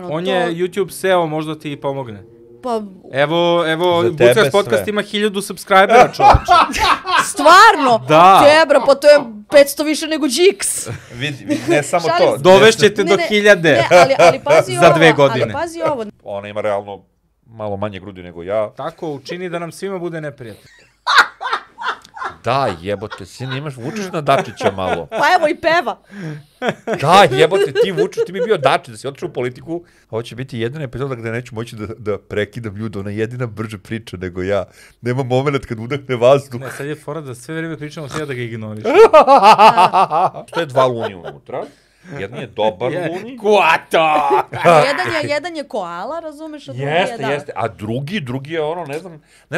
On je YouTube SEO, možda ti pomogne. Pa... Evo, Bucas podcast ima 1000 subscribera, čovječe. Stvarno? Da. Tebra, pa to je 500 više nego Jigs. Vidi, ne samo to. Dovešćete do 1000. Ne, ali pazi za 2 godine. Ali pazi ovo. Ona ima realno malo manje grudi nego ja. Tako, učini da nam svima bude neprijatno. Da, jebote, sine, vučeš na Dačića malo. Pa evo i peva. Da, jebote, ti vučeš, ti bi bio Dačić, da si otišao u politiku. Ovo će biti jedina epizoda gde neću moći da prekidam ljude, ona jedina brže priča nego ja. Nema moment kad udahne vazduh. Ne, sad je fora da sve vreme pričamo, sve da ga ignoriš. To je 2 luni unutra. Jedan je dobar luni. Kuato! Jedan je koala, razumeš, a drugi je da. Jeste, a drugi je ono, ne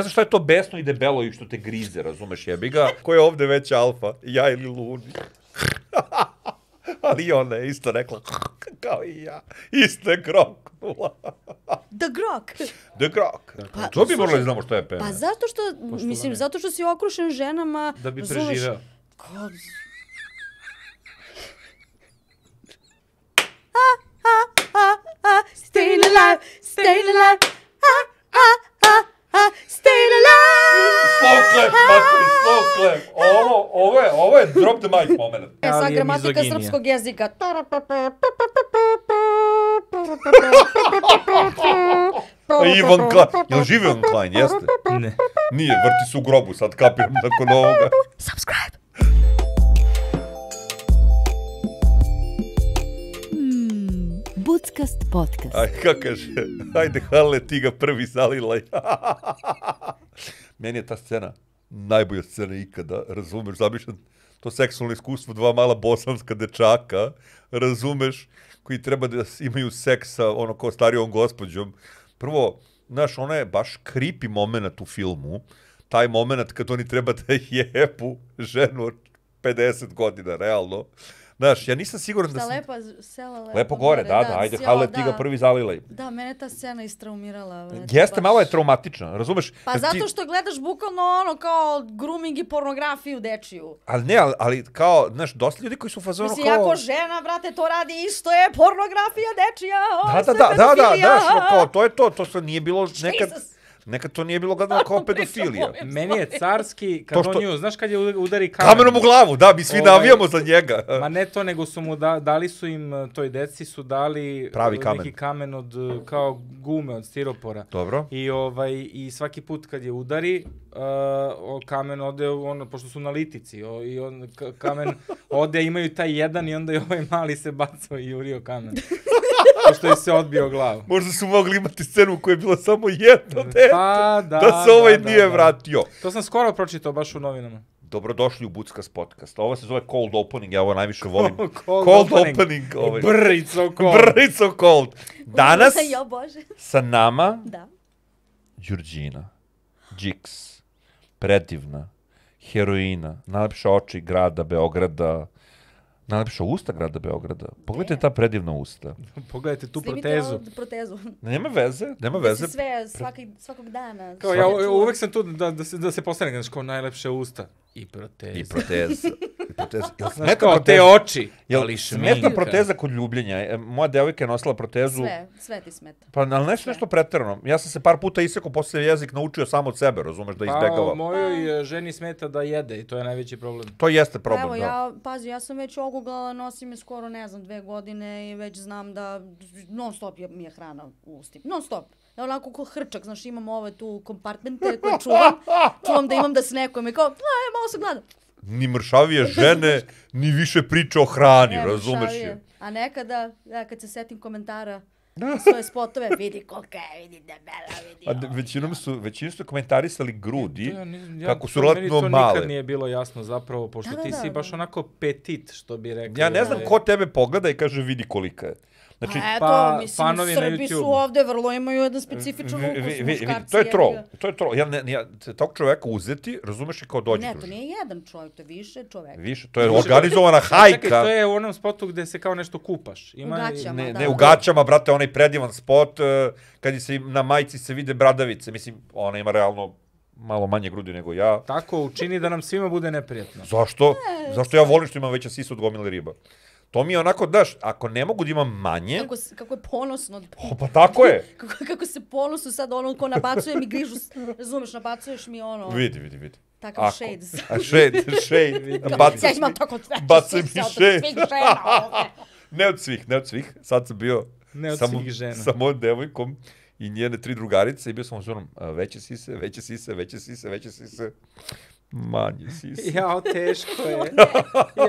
znam šta je to besno i debelo i što te grize, razumeš, jebi ga. Ko je ovde već alfa, ja ili luni? Ali ona je isto rekla, kao i ja, isto je groknula. The Grok. Pa, to bi morali znamo što je pena. Pa zato što, mislim, zato što si okrušen ženama. Da bi preživeo. Staying alive, staying alive, staying alive. Slow clap, materi, slow clap. Ovo je drop the mic moment. Sa gramatika srpskog jezika. Ivan Klein. Jel živi Ivan Klein, jeste? Ne. Nije, vrti se u grobu, sad kapiram nakon ovoga. Subscribe. Buckast podcast. Aj, kako kaže, ajde Hale, ti ga prvi zalilaj. Meni je ta scena najbolja scena ikada, razumeš, zamišljam to seksualno iskustvo 2 mala bosanska dečaka, razumeš, koji treba da imaju seks sa ono kao starijom gospođom. Prvo, znaš, ono je baš creepy moment u filmu, taj moment kad oni treba da jebu ženu od 50 godina, realno. Znaš, ja nisam siguran da sam... Lepo gore, da, ajde, Hale, ti ga prvi zalilaj. Da, mene ta scena istraumirala. Jeste, malo je traumatična, razumeš? Pa zato što gledaš bukvalno ono kao grooming i pornografiju dečiju. Ali ne, ali kao, znaš, dosta ljudi koji su u fazonu kao... Mislim, ako žena, brate, to radi isto je pornografija dečija, Da, znaš, kao, to je to što nije bilo nekad to nije bilo gledano kao pedofilija. Meni je carski, kad on nju, znaš kad je udari kamenom? Kamenom u glavu, da, mi svi navijamo za njega. Ma ne to, nego su mu dali su im, toj deci su dali neki kamen od, kao gume, od stiropora. Dobro. I svaki put kad je udari, kamen ode, pošto su na litici, i kamen ode, imaju taj jedan i onda i ovaj mali se bacao i jurio kamen. Pošto je se odbio glavu. Možda su mogli imati scenu u kojoj je bilo samo jedno dete, da se ovaj nije vratio. To sam skoro pročitao baš u novinama. Dobrodošli u Buckas podcast. Ovo se zove cold opening, ja ovo najviše volim. Cold opening. Brrico cold. Danas sa nama Đurđina, Jigs, predivna, heroina, najlepša oči grada Beograda, najlepša usta grada Beograda. Pogledajte ta predivna usta. Pogledajte tu protezu. Nema veze. Sve, svakog dana. Kao ja uvek sam tu da se postanem kao najlepše usta. I proteza. Kao te oči. Ali smeta proteza kod ljubljenja. Moja devojka je nosila protezu. Sve ti smeta. Pa, ali nešto preterano. Ja sam se par puta isekao, posle jezik naučio sam od sebe, razumeš, da izbegava. Pa, mojoj ženi smeta da jede i to je najveći problem. To jeste problem, da. Evo, ja sam već oguglala, nosim je skoro, 2 godine i već znam da non stop mi je hrana u ustima. Non stop. Ja onako ko hrčak, znaš, imam ove tu kompartmente koje čuvam da imam da snekujem i kao, malo sam gladan. Ni mršavije žene, ni više priče o hrani, razumeš je. A nekada, kad se setim komentara svoje spotove, vidi kolika je, vidi debela, vidi ovo. Većinu su komentarisali grudi, kako su relativno male. Meni to nikad nije bilo jasno zapravo, pošto ti si baš onako petit, što bi rekao. Ja ne znam ko tebe pogleda i kaže vidi kolika je. Znači, eto, mislim, Srbi su ovde vrlo imaju jedan specifičan ukus, muškarci. To je troll. Ja tog čoveka uzeti, razumeš i kao dođe. Ne, to nije jedan čovjek, to je više čoveka. Više, to je organizovana hajka. Čekaj, to je u onom spotu gde se kao nešto kupaš. U gaćama, da. Ne, u gaćama, brate, onaj predivan spot, kad se na majici se vide bradavice, mislim, ona ima realno malo manje grudi nego ja. Tako, učini da nam svima bude neprijatno. Zašto? Zašto ja volim što imam veća sisa od gomile riba? To mi je onako, daš, ako ne mogu da imam manje... Kako je ponosno. Pa tako je. Kako se ponosno sad ono ko nabacuje mi grižu, razumeš, nabacuješ mi ono... Vidi. Takav shades. Shade. Ja imam tako bacaj mi sise od shade. svih žena ovde. Ne od svih. Sad sam bio svih žena. Sa mojom devojkom i njene 3 drugarice i bio sam u zonom veće sise, manje sise. Jao, teško je.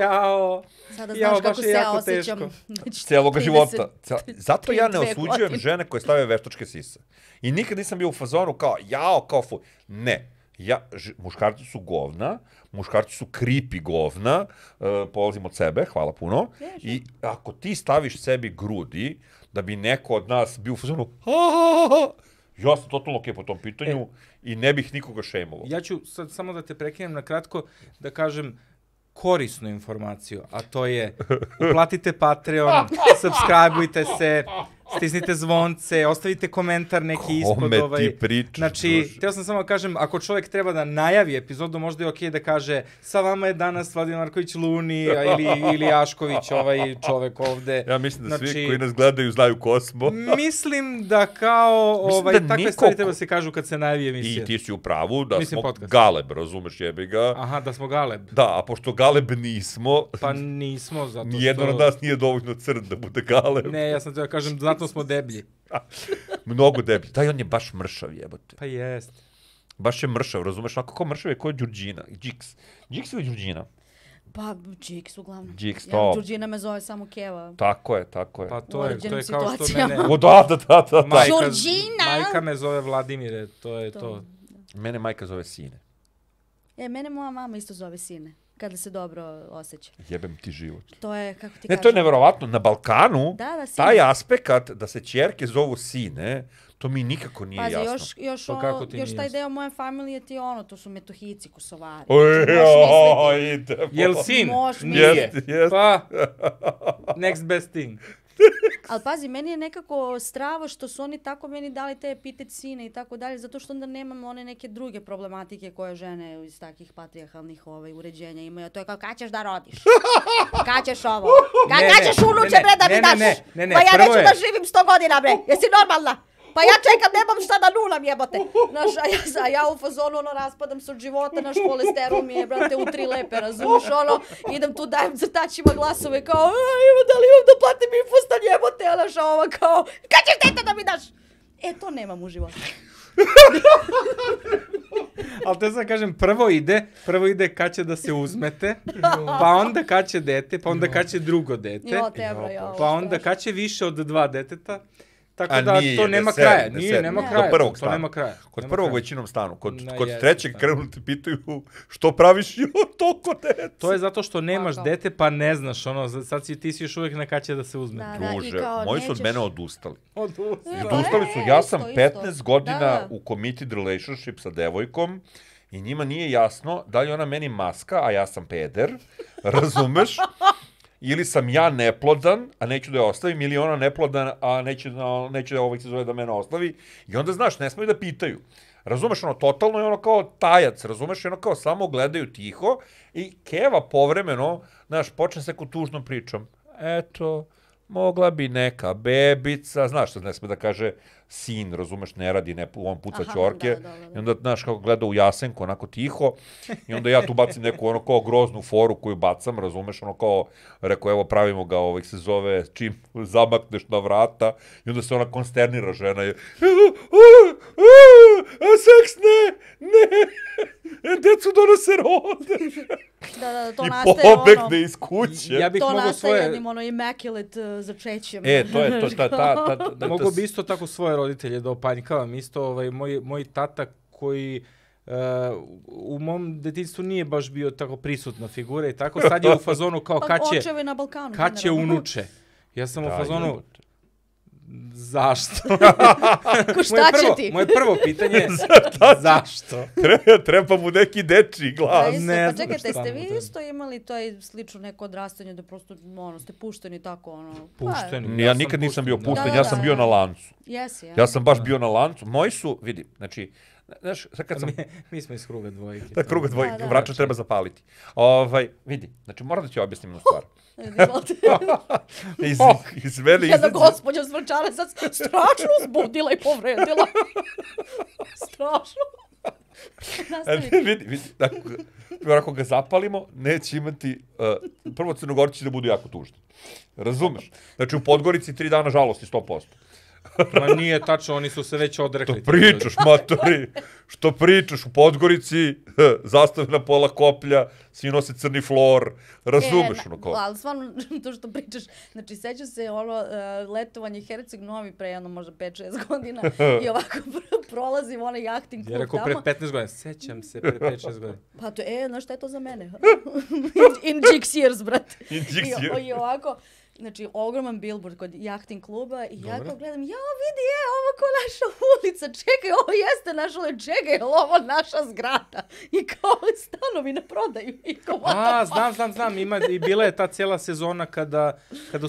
Jao. Sada znaš kako se ja osjećam. Cijeloga života. Zato ja ne osuđujem žene koje stave veštačke sise. I nikad nisam bio u fazonu kao fu. Ne. Muškarci su govna, muškarci su creepy govna, polazim od sebe, hvala puno. I ako ti staviš sebi grudi, da bi neko od nas bio u fazonu, ja sam totalno okej po tom pitanju i ne bih nikoga šejmovao. Ja ću sad samo da te prekinem na kratko, da kažem korisnu informaciju, a to je uplatite Patreon, subscribeujte se, stisnite zvonce, ostavite komentar neki ispod. Kome ti pričaš? Znači, teo sam samo da kažem, ako čovjek treba da najavi epizodu, možda je okej da kaže sa vama je danas Vladimir Marković Luni ili Ašković, ovaj čovek ovde. Ja mislim da svi koji nas gledaju znaju ko smo. Mislim da kao takve stvari treba se kažu kad se najavi emisija. I ti si u pravu da smo podcast. Galeb, razumeš, jebi ga. Aha, da smo Galeb. Da, a pošto Galeb nismo... Pa nismo, zato što... Nijedno od nas nije dovoljno crn da bude Galeb. Ne, ja sam te da kažem, zato smo deblji. Mnogo deblji. Daj, on je baš mršav, jebote. Pa jest. Baš je mršav, razumeš? Onako kao mršav je kao Đurđina. Džiks ili Đurđina? Pa, Džiks uglavnom. Džiks, to. Đurđina me zove samo Keva. Tako je. Pa to je kao što mene... O, da. Đurđina! Majka me zove Vladimire, to je to. Mene majka zove Sine. Mene moja mama isto zove Sine. Kada se dobro osjeća. Jebem ti život. To je, kako ti Ne, kažem... to je neverovatno. Na Balkanu, taj aspekt da se ćerke zovu Sine, to mi nikako nije jasno. Pazi, još taj deo moje familije ti ono, to su Metohici, Kosovari. Jel sin? Nije. Pa, next best thing. Ali pazi, meni je nekako strava što su oni tako meni dali te epitet Sine i tako dalje, zato što onda nemam one neke druge problematike koje žene iz takih patrijarhalnih uređenja imaju. A to je kao, kad ćeš da rodiš? Kad ćeš ovo? Kad ćeš unuče, bre, da mi daš? Pa ja neću da živim 100 godina, bre. Jesi normalna? Pa ja čekam, nemam šta da nulam, jebote. A ja u fazonu, raspadam se od života, naš kolesterol mi je, brate, u 3 lepe, razumiješ, idem tu, dajem crtačima glasove, kao, da li imam da platim infostan, jebote, a naša ova, kao, kad ćeš dete da mi daš? To nemam u životu. Ali te sad kažem, prvo ide kad će da se uzmete, pa onda kad će dete, pa onda kad će drugo dete, pa onda kad će više od 2 deteta. Tako da to nema kraja. Nema kraja. Kod prvog većinom stanu. Kod trećeg krenu te pitaju što praviš toliko dece. To je zato što nemaš dete pa ne znaš. Sad ti si još uvijek na kad će da se uzme. Druže, moji su od mene odustali. Odustali su. Ja sam 15 godina u committed relationship sa devojkom i njima nije jasno da li ona meni maska, a ja sam peder. Razumeš? Ili sam ja neplodan, a neću da je ostavim, ili ona neplodan, a neće da ovih se zove da mene ostavi. I onda, znaš, ne smiju da pitaju. Razumeš, totalno je kao tajac, razumeš, kao samo gledaju tiho i Keva povremeno, znaš, počne se neku tužnom pričom. Eto, mogla bi neka bebica, znaš što ne sme da kaže sin, razumeš, ne radi, on puca ćorke. I onda, znaš, kako gleda u Jasenku, onako tiho. I onda ja tu bacim neku kao groznu foru koju bacam, razumeš, kao, rekao, evo, pravimo ga, se zove, čim zamakneš na vrata. I onda se ona konsternira, žena je, seks, ne, decu donose rode. To i nastaje pobegne iz kuće. To nastaje jednim immaculate začećem. To je to, mogu bi isto tako svoje roditelje da opanjkavam. Isto moj tata koji u mom detinjstvu nije baš bio tako prisutna figura i tako. Sad je u fazonu kao kad će unuče. Ja sam u fazonu... Zašto? Šta će ti? Moje prvo pitanje je zašto? Treba mu neki dečiji glas. Pa čekajte, ste vi isto imali to slično neko odrastanje da prosto ste pušteni tako? Pušteni? Ja nikad nisam bio pušten, ja sam bio na lancu. Ja sam baš bio na lancu. Moji su, vidi, znači, Znaš, sad kad sam... Mi smo iz kruga dvojke. Da, kruga dvojke, Da. vrača treba zapaliti. Vidi, znači moram da ti objasnim jednu stvar. Iz mene Jedna izađe... gospođa s Vračara sad strašno uzbudila i povredila. Strašno. Nastavite. Vidi, ako ga zapalimo, neće imati... prvo Crnogorci će da budu jako tužni. Razumeš? Znači u Podgorici 3 dana žalosti, 100%. Ma nije tačno, oni su se već odrekli. Što pričaš, matori? Što pričaš u Podgorici? Zastave na pola koplja, svi nose crni flor. Razumeš ono kao? Ali stvarno, to što pričaš, znači sećam se letovanje Herceg Novi pre jedno možda 5-6 godina i ovako prolazim onaj jahting klub Ja rekao tamo. pre 15 godina, sećam se pre 5-6 godina. Pa to, znaš šta je to za mene? In Jix years, brate. In Jix years. I ovako, znači, ogroman billboard kod jahting kluba i ja kao gledam, vidi, ovo ko naša ulica, čekaj, ovo jeste naša ulica, čekaj, je li ovo naša zgrada? I kao stanovi na prodaju. I kao, Znam, i bila je ta cijela sezona kada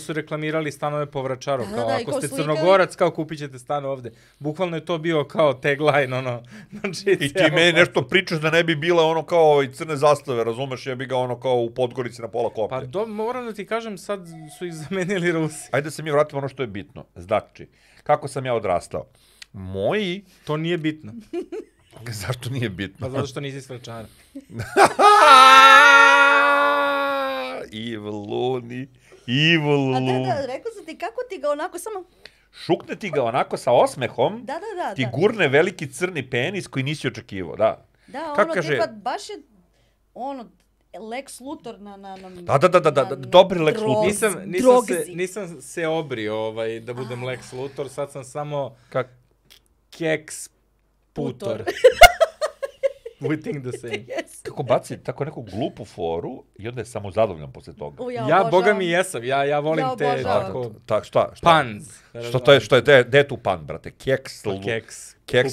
su reklamirali stanove po Vračaru, kao ako ste Crnogorac, kao kupit ćete stan ovde. Bukvalno je to bio kao tagline, ono. Znači, I ti meni nešto pričaš da ne bi bila ono kao i crne zastave, razumeš, ja bi ga ono kao u Podgorici na pola koplja. Pa moram da ti kažem, sad su ih zamenili Rusi. Ajde da se mi vratimo ono što je bitno. Znači, kako sam ja odrastao? Moji... To nije bitno. Zašto nije bitno? Pa zato što nisi s Vračara. Evil Luni. A da, rekao sam ti kako ti ga onako samo... Šukne ti ga onako sa osmehom, Da. ti gurne veliki crni penis koji nisi očekivao, da. Da, Kako ono kaže... tipa baš je ono Lex Luthor na Da, dobri Lex Luthor. Nisam se obrio da budem Lex Luthor, sad sam samo Keks Putor. We think the same. Yes. Kako baci tako neku glupu foru i onda je samo zadovoljan posle toga. Ja boga mi jesam, ja volim te tako... Šta? Puns. Što je, gde je tu pan, brate? Keks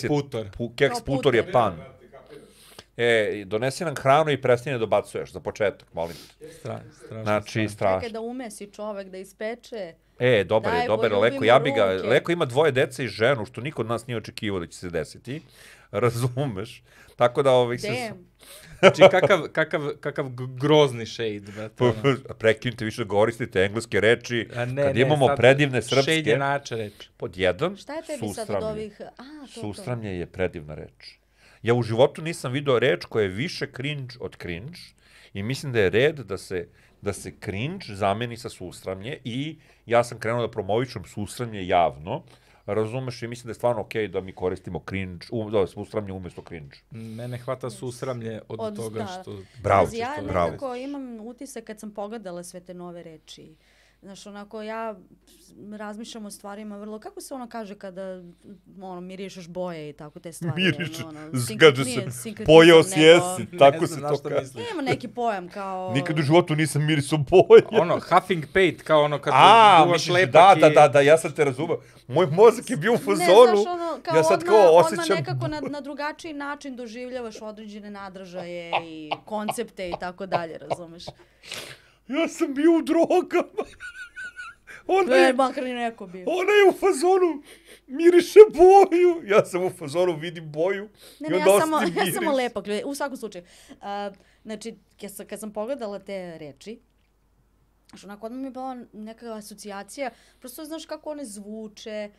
Putor. Keks Putor je pan. Donesi nam hranu i prestani da dobacuješ za početak, molim te. Strašno. Znači, strašno. Čekaj da umesi čovek, da ispeče. Dobar je, Leko, ja bi ga, Leko ima 2 dece i ženu, što niko od nas nije očekivao da će se desiti. Razumeš? Tako da Znači, kakav grozni shade, brate. Prekinite više da koristite engleske reči, kad imamo predivne srpske. Shade je nača reč. Pod jedan, šta je tebi sad od ovih... Sustramlje je predivna reč. Ja u životu nisam video reč koja je više cringe od cringe i mislim da je red da se cringe zameni sa sustramlje i ja sam krenuo da promovišem sustramlje javno, razumeš, i mislim da je stvarno okej da mi koristimo cringe, sustramlje umjesto cringe. Mene hvata susramlje od toga što... Bravo, ja nekako imam utisak kad sam pogledala sve te nove reči. Znaš, onako, ja razmišljam o stvarima vrlo, kako se ono kaže kada, mirišeš boje i tako te stvari. Mirišeš, kaže se, pojeo si jesi, tako se to kaže. Nema neki pojam kao... Nikad u životu nisam mirisao boje. Huffing Pate, kao ono kad duvaš lepak da, ja sad te razumem. Moj mozak je bio u fazonu, ja sad kao osjećam... Nekako na drugačiji način doživljavaš određene nadražaje i koncepte i tako dalje, razumeš? Ja sam bio u drogama. Makar ni neko bio. Ona je u fazonu, miriše boju. Ja sam u fazonu, vidim boju. Ja samo lepak, u svakom slučaju. Znači, kad sam pogledala te reči, onako odmah mi je bila neka asocijacija, prosto znaš kako one zvuče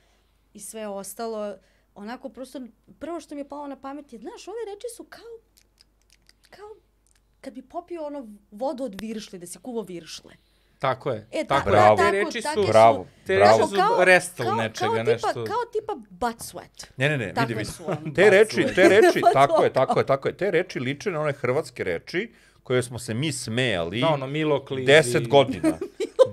i sve ostalo. Onako, prosto, prvo što mi je palo na pamet je, znaš, ove reči su kao kad bi popio vodu od viršle, da si kuvo viršle. Tako je. Bravo. Te reči su restel nečega, nešto. Kao tipa butt sweat. Ne, vidi. Te reči, tako je. Te reči liče na one hrvatske reči koje smo se mi smejali 10 godina.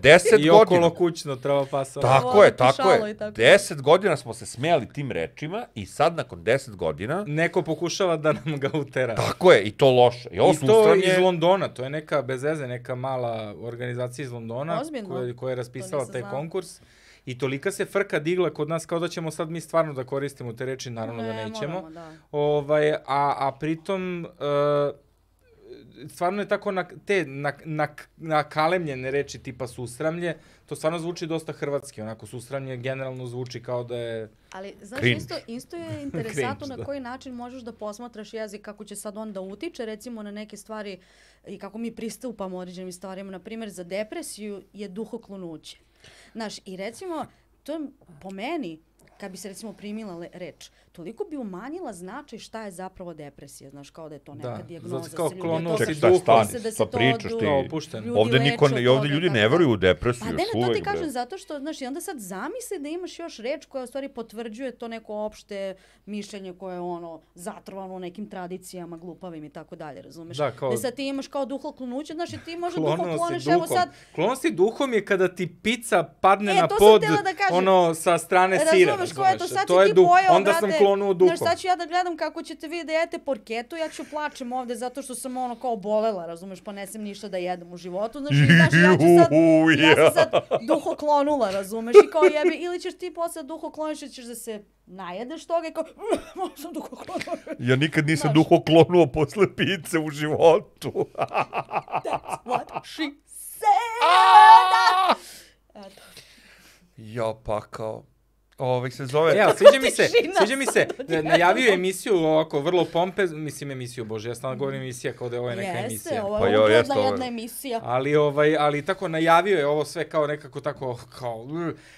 10 godina. I okolo kućno treba pasati. Tako je. 10 godina smo se smejali tim rečima i sad nakon 10 godina... Neko pokušava da nam ga utera. Tako je, i to loše. I to iz Londona, to je neka bez veze, neka mala organizacija iz Londona koja je raspisala taj konkurs. I tolika se frka digla kod nas kao da ćemo sad mi stvarno da koristimo te reči, naravno da nećemo. A pritom... stvarno je tako nakalemljene reči tipa susramlje, to stvarno zvuči dosta hrvatski, onako susramlje generalno zvuči kao da je... Ali, znaš, Cringe. isto je interesantno Cringe, na koji način možeš da posmatraš jezik, kako će sad onda utiče, recimo, na neke stvari i kako mi pristupamo određenim stvarima. Na primjer, za depresiju je duhoklonuće. Znaš, i recimo, to je po meni, kad bi se recimo primila reč, toliko bi umanjila značaj šta je zapravo depresija. Znaš, kao da je to neka dijagnoza. zato kao se ljudi klonuo to si misle duhom. da se Šta to pričaš ti? Opušteno. ljudi Ovde leče niko od ne, ovde toga, ljudi tako ne da. veruju u depresiju Pa još ne, to uvek, ti kažem bre. zato što, znaš, i onda sad zamisli da imaš još reč koja u stvari potvrđuje to neko opšte mišljenje koje je ono zatrovano nekim tradicijama glupavim i tako dalje, razumeš? Da, kao- Da sad ti imaš kao duhoklonuće, znaš, i ti možda Klonuo si duhokloniš, evo duhom. sad, Klonuo si duhom je kada ti pizza padne na to sam pod, htjela da kažem. ono, sa strane sira, razumeš, kao eto, sad To si je ti pojao, onda brate, sam klonuo duhom. znaš, sad ću ja da gledam kako ćete vi da jete porketu, ja ću plačem ovde zato što sam ono kao bolela, razumeš, pa ne sam ništa da jedem u životu, znaš, i znaš, ja sam sad duhoklonula, razumeš, i kao jebi, ili ćeš ti posle duhokloniš, ćeš da se najedeš toga i kao, možda sam duhoklonula. Ja nikad nisam Znaš. duhoklonuo posle pice u životu. That's what she said. Eto. Ja, pa kao... se zove... Evo, Tišina. sviđa mi se, najavio je emisiju ovako, vrlo mislim emisiju, bože, ja stalno govorim emisija kao da je ovo neka emisija. Jeste, ovo Pa je jo, ugledna jeste, ovo je. jedna emisija. Ali tako najavio je ovo sve kao nekako tako, kao,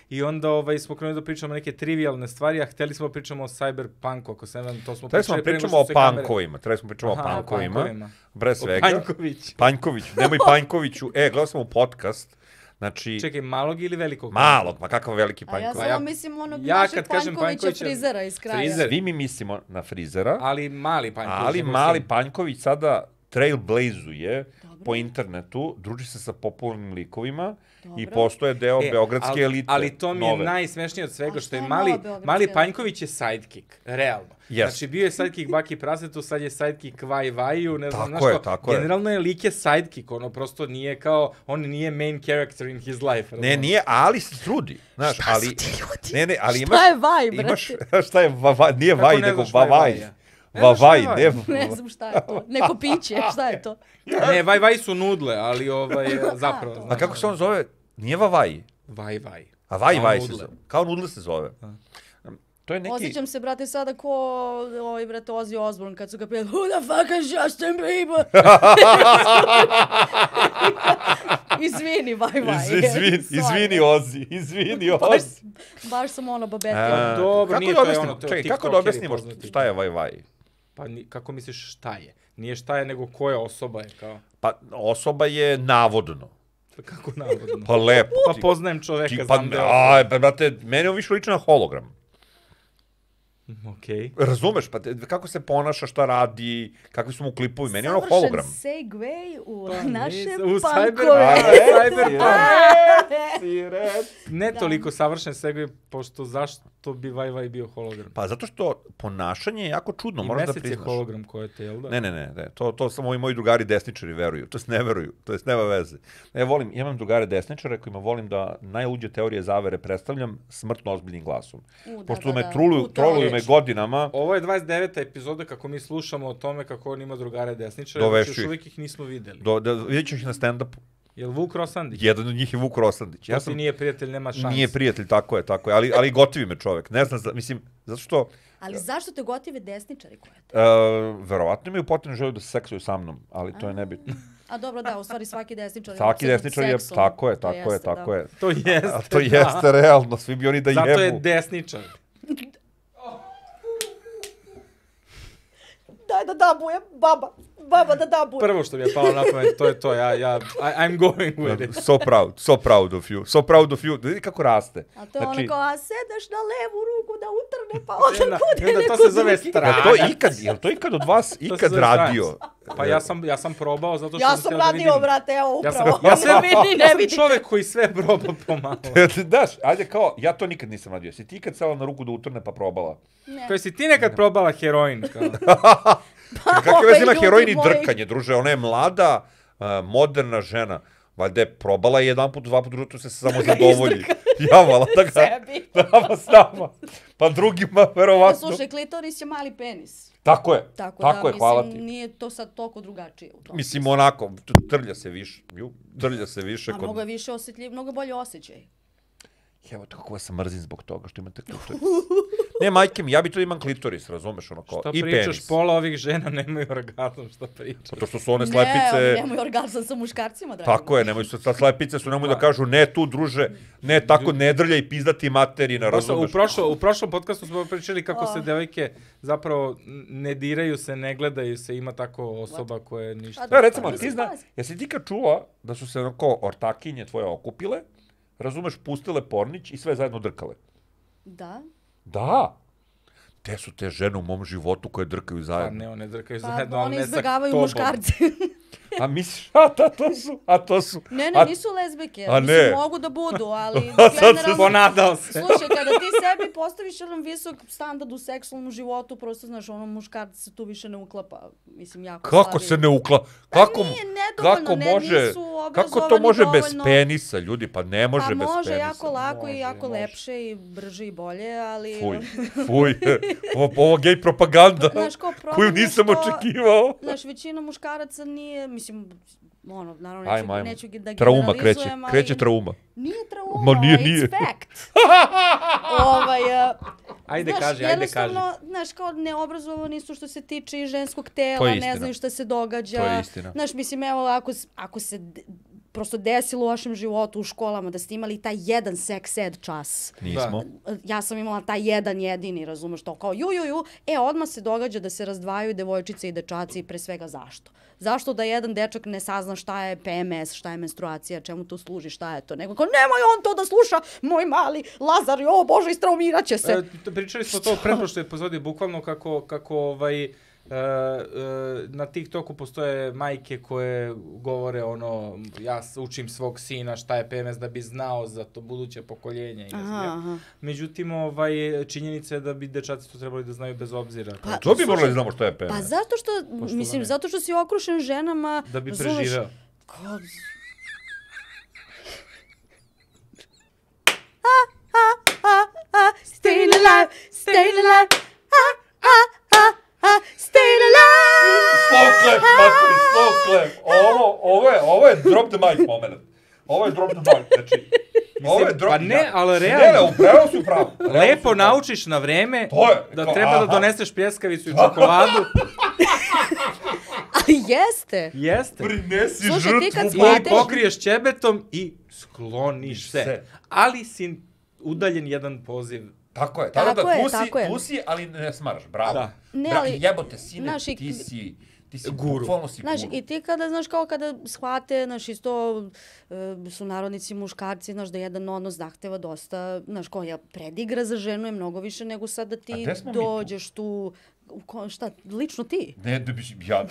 i onda smo krenuli da pričamo neke trivialne stvari, a hteli smo da pričamo o cyberpunku, ako se ne znam, to smo Trebali smo pričali pre nego pričamo što o se kamere- pankovima. Trebali smo pričamo o Aha, pankovima. Pre svega. Panjković. Panjković. Nemoj Panjkoviću. Gledao sam u podcast. Znači... Čekaj, malog ili velikog? Malog, ma kakav veliki A ja Panjković. samo mislim onog ja našeg kad kažem Panjkovića Panjkovića- frizera iz kraja. Frizer. Svi mi mislimo na frizera, Ali mali Panjković. ali nego mali sin. Panjković sada trailblazuje Dobro. po internetu, druži se sa popularnim likovima i Dobro. postoje deo beogradske elite. Ali to mi je nove. najsmešnije od svega, A što je šta je mali, nova beogradska mali elita? Panjković je sidekick, realno. Yes. Znači, bio je sidekick Baki Prasetu, sad je sidekick Vaj Vaju, ne znam, Tako znaš je, kao, tako je. generalno je lik je sidekick, ono prosto nije kao, on nije main character in his life. Ne, razumeš? nije, ali se trudi. Znaš, ali... ljudi? Ne, ali imaš... Šta je vaj, brate? Imaš, šta je nije Kako vaj, ne nego znaš šta je vavaj. Vaja? Ne znaš šta Vavaj, je ne... Vaja? Ne znam šta je to. Neko piće, šta je to? Ne, Vaj Vaj su nudle, ali zapravo. to. A kako se on zove? Nije vavaj. Vaj Vaj. A vaj, Kao vaj se nudle. zove. Kao nudle se zove. To je neki... Osjećam se, brate, sada ko brate, Ozzy Osbourne kad su ga pijeli Who the fuck is Justin Bieber? Izvini, vaj. Izvini, Ozzy. Izvini, Ozzy. Baš sam ono babetila. Dobro, kako nije da to je objasnimo? ono, to je Čekaj, kako da tiktokeri objasnimo poznati. šta je vaj, vaj? Pa kako misliš šta je? Nije šta je, nego koja osoba je, kao. Pa osoba je navodno. Kako navodno? Pa lepo. Pa poznajem čoveka, Pa, znam da je osoba. brate, mene on više liči na hologram. Okej. Razumeš, pa kako se ponaša, šta radi, kakvi su mu klipovi, meni je ono hologram. Savršen segway u Pa naše nisam, u punkove. Ne toliko savršen sebi, pošto zašto bi Vaj Vaj bio hologram? Pa zato što ponašanje je jako čudno, I moraš da Mesec je priznaš. hologram koje te, jel da? Ne, to samo ovi moji drugari desničari veruju, to ne veruju, to jest nema veze. Ja imam drugare desničare kojima volim da najluđe teorije zavere predstavljam smrtno ozbiljnim glasom. Pošto me troluju me godinama, Ovo je 29. epizoda kako mi slušamo o tome kako on ima drugare desničare, Dovešću još ih. uvijek ih nismo videli. vidjet ću ih na stand-upu. Jel Vuk Rosandić? Jedan od njih je Vuk Rosandić. To ti nije prijatelj, nema šans. Nije prijatelj, tako je, ali gotivi me čovek. Ne znam, mislim, zato što Ali zašto te gotive desničari koje te? verovatno imaju potrebnu želju da se seksuju sa mnom, ali to je nebitno. A dobro, da, u stvari svaki desničar Svaki desničar je, tako je. To jeste, A to jeste realno, svi bi oni da jebu. Zato je desničar. Daj da dabujem, baba da dabujem. Prvo što mi je palo na pamet, to je to, I'm going with it. So proud of you. Da vidi kako raste. A to je ono kao, a sedeš na levu ruku da utrne, pa onda I onda bude neko to se zove drugi. stranac. Jel to ikad od vas se ikad zove radio? Pa ja sam probao zato što Ja sam sam htio da vidim. radio, brate, evo upravo. Ja sam vidite. čovek koji sve proba pomalo. Daš, ajde kao, ja to nikad nisam radio. Si ti ikad sela na ruku da utrne pa probala? Koji si ti nekad probala heroin? Kao? Kakve veze ima ljudi heroin i moji. drkanje, druže? Ona je mlada, moderna žena. Valjda je probala jedan put, dva put, drugo se samo zadovolji. Javala, da ga... Sebi. Nama s nama. Pa drugima, verovatno. Slušaj, klitoris je mali penis. Tako je, Tako tako da, je, hvala mislim, ti. nije to sad toliko drugačije u tom. Mislim, onako, trlja se više. Trlja se više. A mnogo je više osjetljiv, mnogo bolje osjećaj. Evo te kako vas mrzim zbog toga što imate klitoris. Ne, majke mi, ja bi to imam klitoris, razumeš, ono kao, Šta i pričaš, penis. pola ovih žena nemaju orgazam, šta pričaš? Zato što su one Ne, slepice... oni nemaju orgazam sa muškarcima, dragi. Tako je, nemoj sa slepice su, nemoj da kažu ne tu, druže, ne tako, ne drljaj pizdati materina, razumeš? U prošlom podcastu smo pričali kako se devojke zapravo ne diraju se, ne gledaju se, ima tako osoba koje ništa... Da, recimo, Mislim, ti zna, pazi. jesi ti kad čula da su se onako ortakinje tvoje okupile, razumeš, pustile pornić i sve zajedno drkale? Da. Da. Te su te žene u mom životu koje drkaju Pa zajedno. ne, one drkaju Pa zajedno, ali oni ne sa izbjegavaju tobom. muškarce. A misliš, to su... Ne, a- nisu lezbijke. a Mislim, ne. mogu da budu, ali A sad se generalno... Ponadao se. Slušaj, kada ti sebi postaviš jedan visok standard u seksualnom životu, prosto, znaš, ono, muškarac se tu više ne uklapa. Mislim, jako Kako slabi. se ne kako, nije nedovoljno, kako ne, može, nisu kako to obrazovani može bez dovoljno. penisa, ljudi, pa ne može Pa bez može penisa. jako lako Može, i jako može. lepše i brže i bolje, ali... Fuj, ovo gej propaganda, Znaš, kao problem koju je nisam što- očekivao. Znaš, većina muškaraca nije, mislim, ono, naravno Ajmo. neću da Trauma generalizujem, ali... kreće trauma. Nije trauma, Ma nije, it's nije. fact. Ajde Znaš, kaži, ajde kaži. jednostavno, znaš, kao neobrazovani su što se tiče i ženskog tela, istina. ne znaju šta se događa. To je istina. Znaš, mislim, evo, ako se prosto desilo u vašem životu u školama da ste imali taj jedan sex ed čas. Nismo. Ja sam imala taj jedan jedini, razumeš to, kao ju, odmah se događa da se razdvajaju devojčice i dečaci, pre svega zašto? Zašto da jedan dečak ne sazna šta je PMS, šta je menstruacija, čemu to služi, šta je to? Nego kao, nemoj on to da sluša, moj mali Lazar, o Bože, istraumirat će se. Pričali smo to u pretprošloj epizodi, bukvalno kako na TikToku postoje majke koje govore ono, ja učim svog sina šta je PMS da bi znao za to buduće pokoljenje. I ne znam ja. Aha. Međutim, činjenica je da bi dečaci to trebali da znaju bez obzira. Pa, To bi slušaj, morali da znamo što je PMS. Pa zato što, mislim, ne. zato što si okrušen ženama... Da bi razumeš, preživeo. kao- Staying alive, staying alive, staying alive. Slow clap, materi, slow clap. Ovo je drop the mic moment. Ovo je drop the mic, znači... Ovo je drop... pa ne, ali Ne, realno. upravo si upravo. Lepo naučiš na vreme To je, da kao, treba da aha. doneseš pljeskavicu i čokoladu. Ali jeste. Jeste. Prinesi Slušaj, ti kad žrtvu shvatiš- Bogu. Pokriješ ćebetom i skloniš se. Se. Ali si udaljen jedan poziv. Tako je, Tako tako da je, tu si, tako je. tu si, ali ne smaraš, bravo. Da. Ne, Bra, ali- jebote, sine, znaš, i- ti si Guru. bukvalno si Znaš, guru. i ti kada, znaš, kao kada shvate, znaš, isto su narodnici muškarci, znaš, da jedan odnos zahteva dosta, znaš, koja predigra za ženu je mnogo više nego sad da A ti gde smo mi tu? dođeš tu, šta, lično ti? Ne, da biš, ja,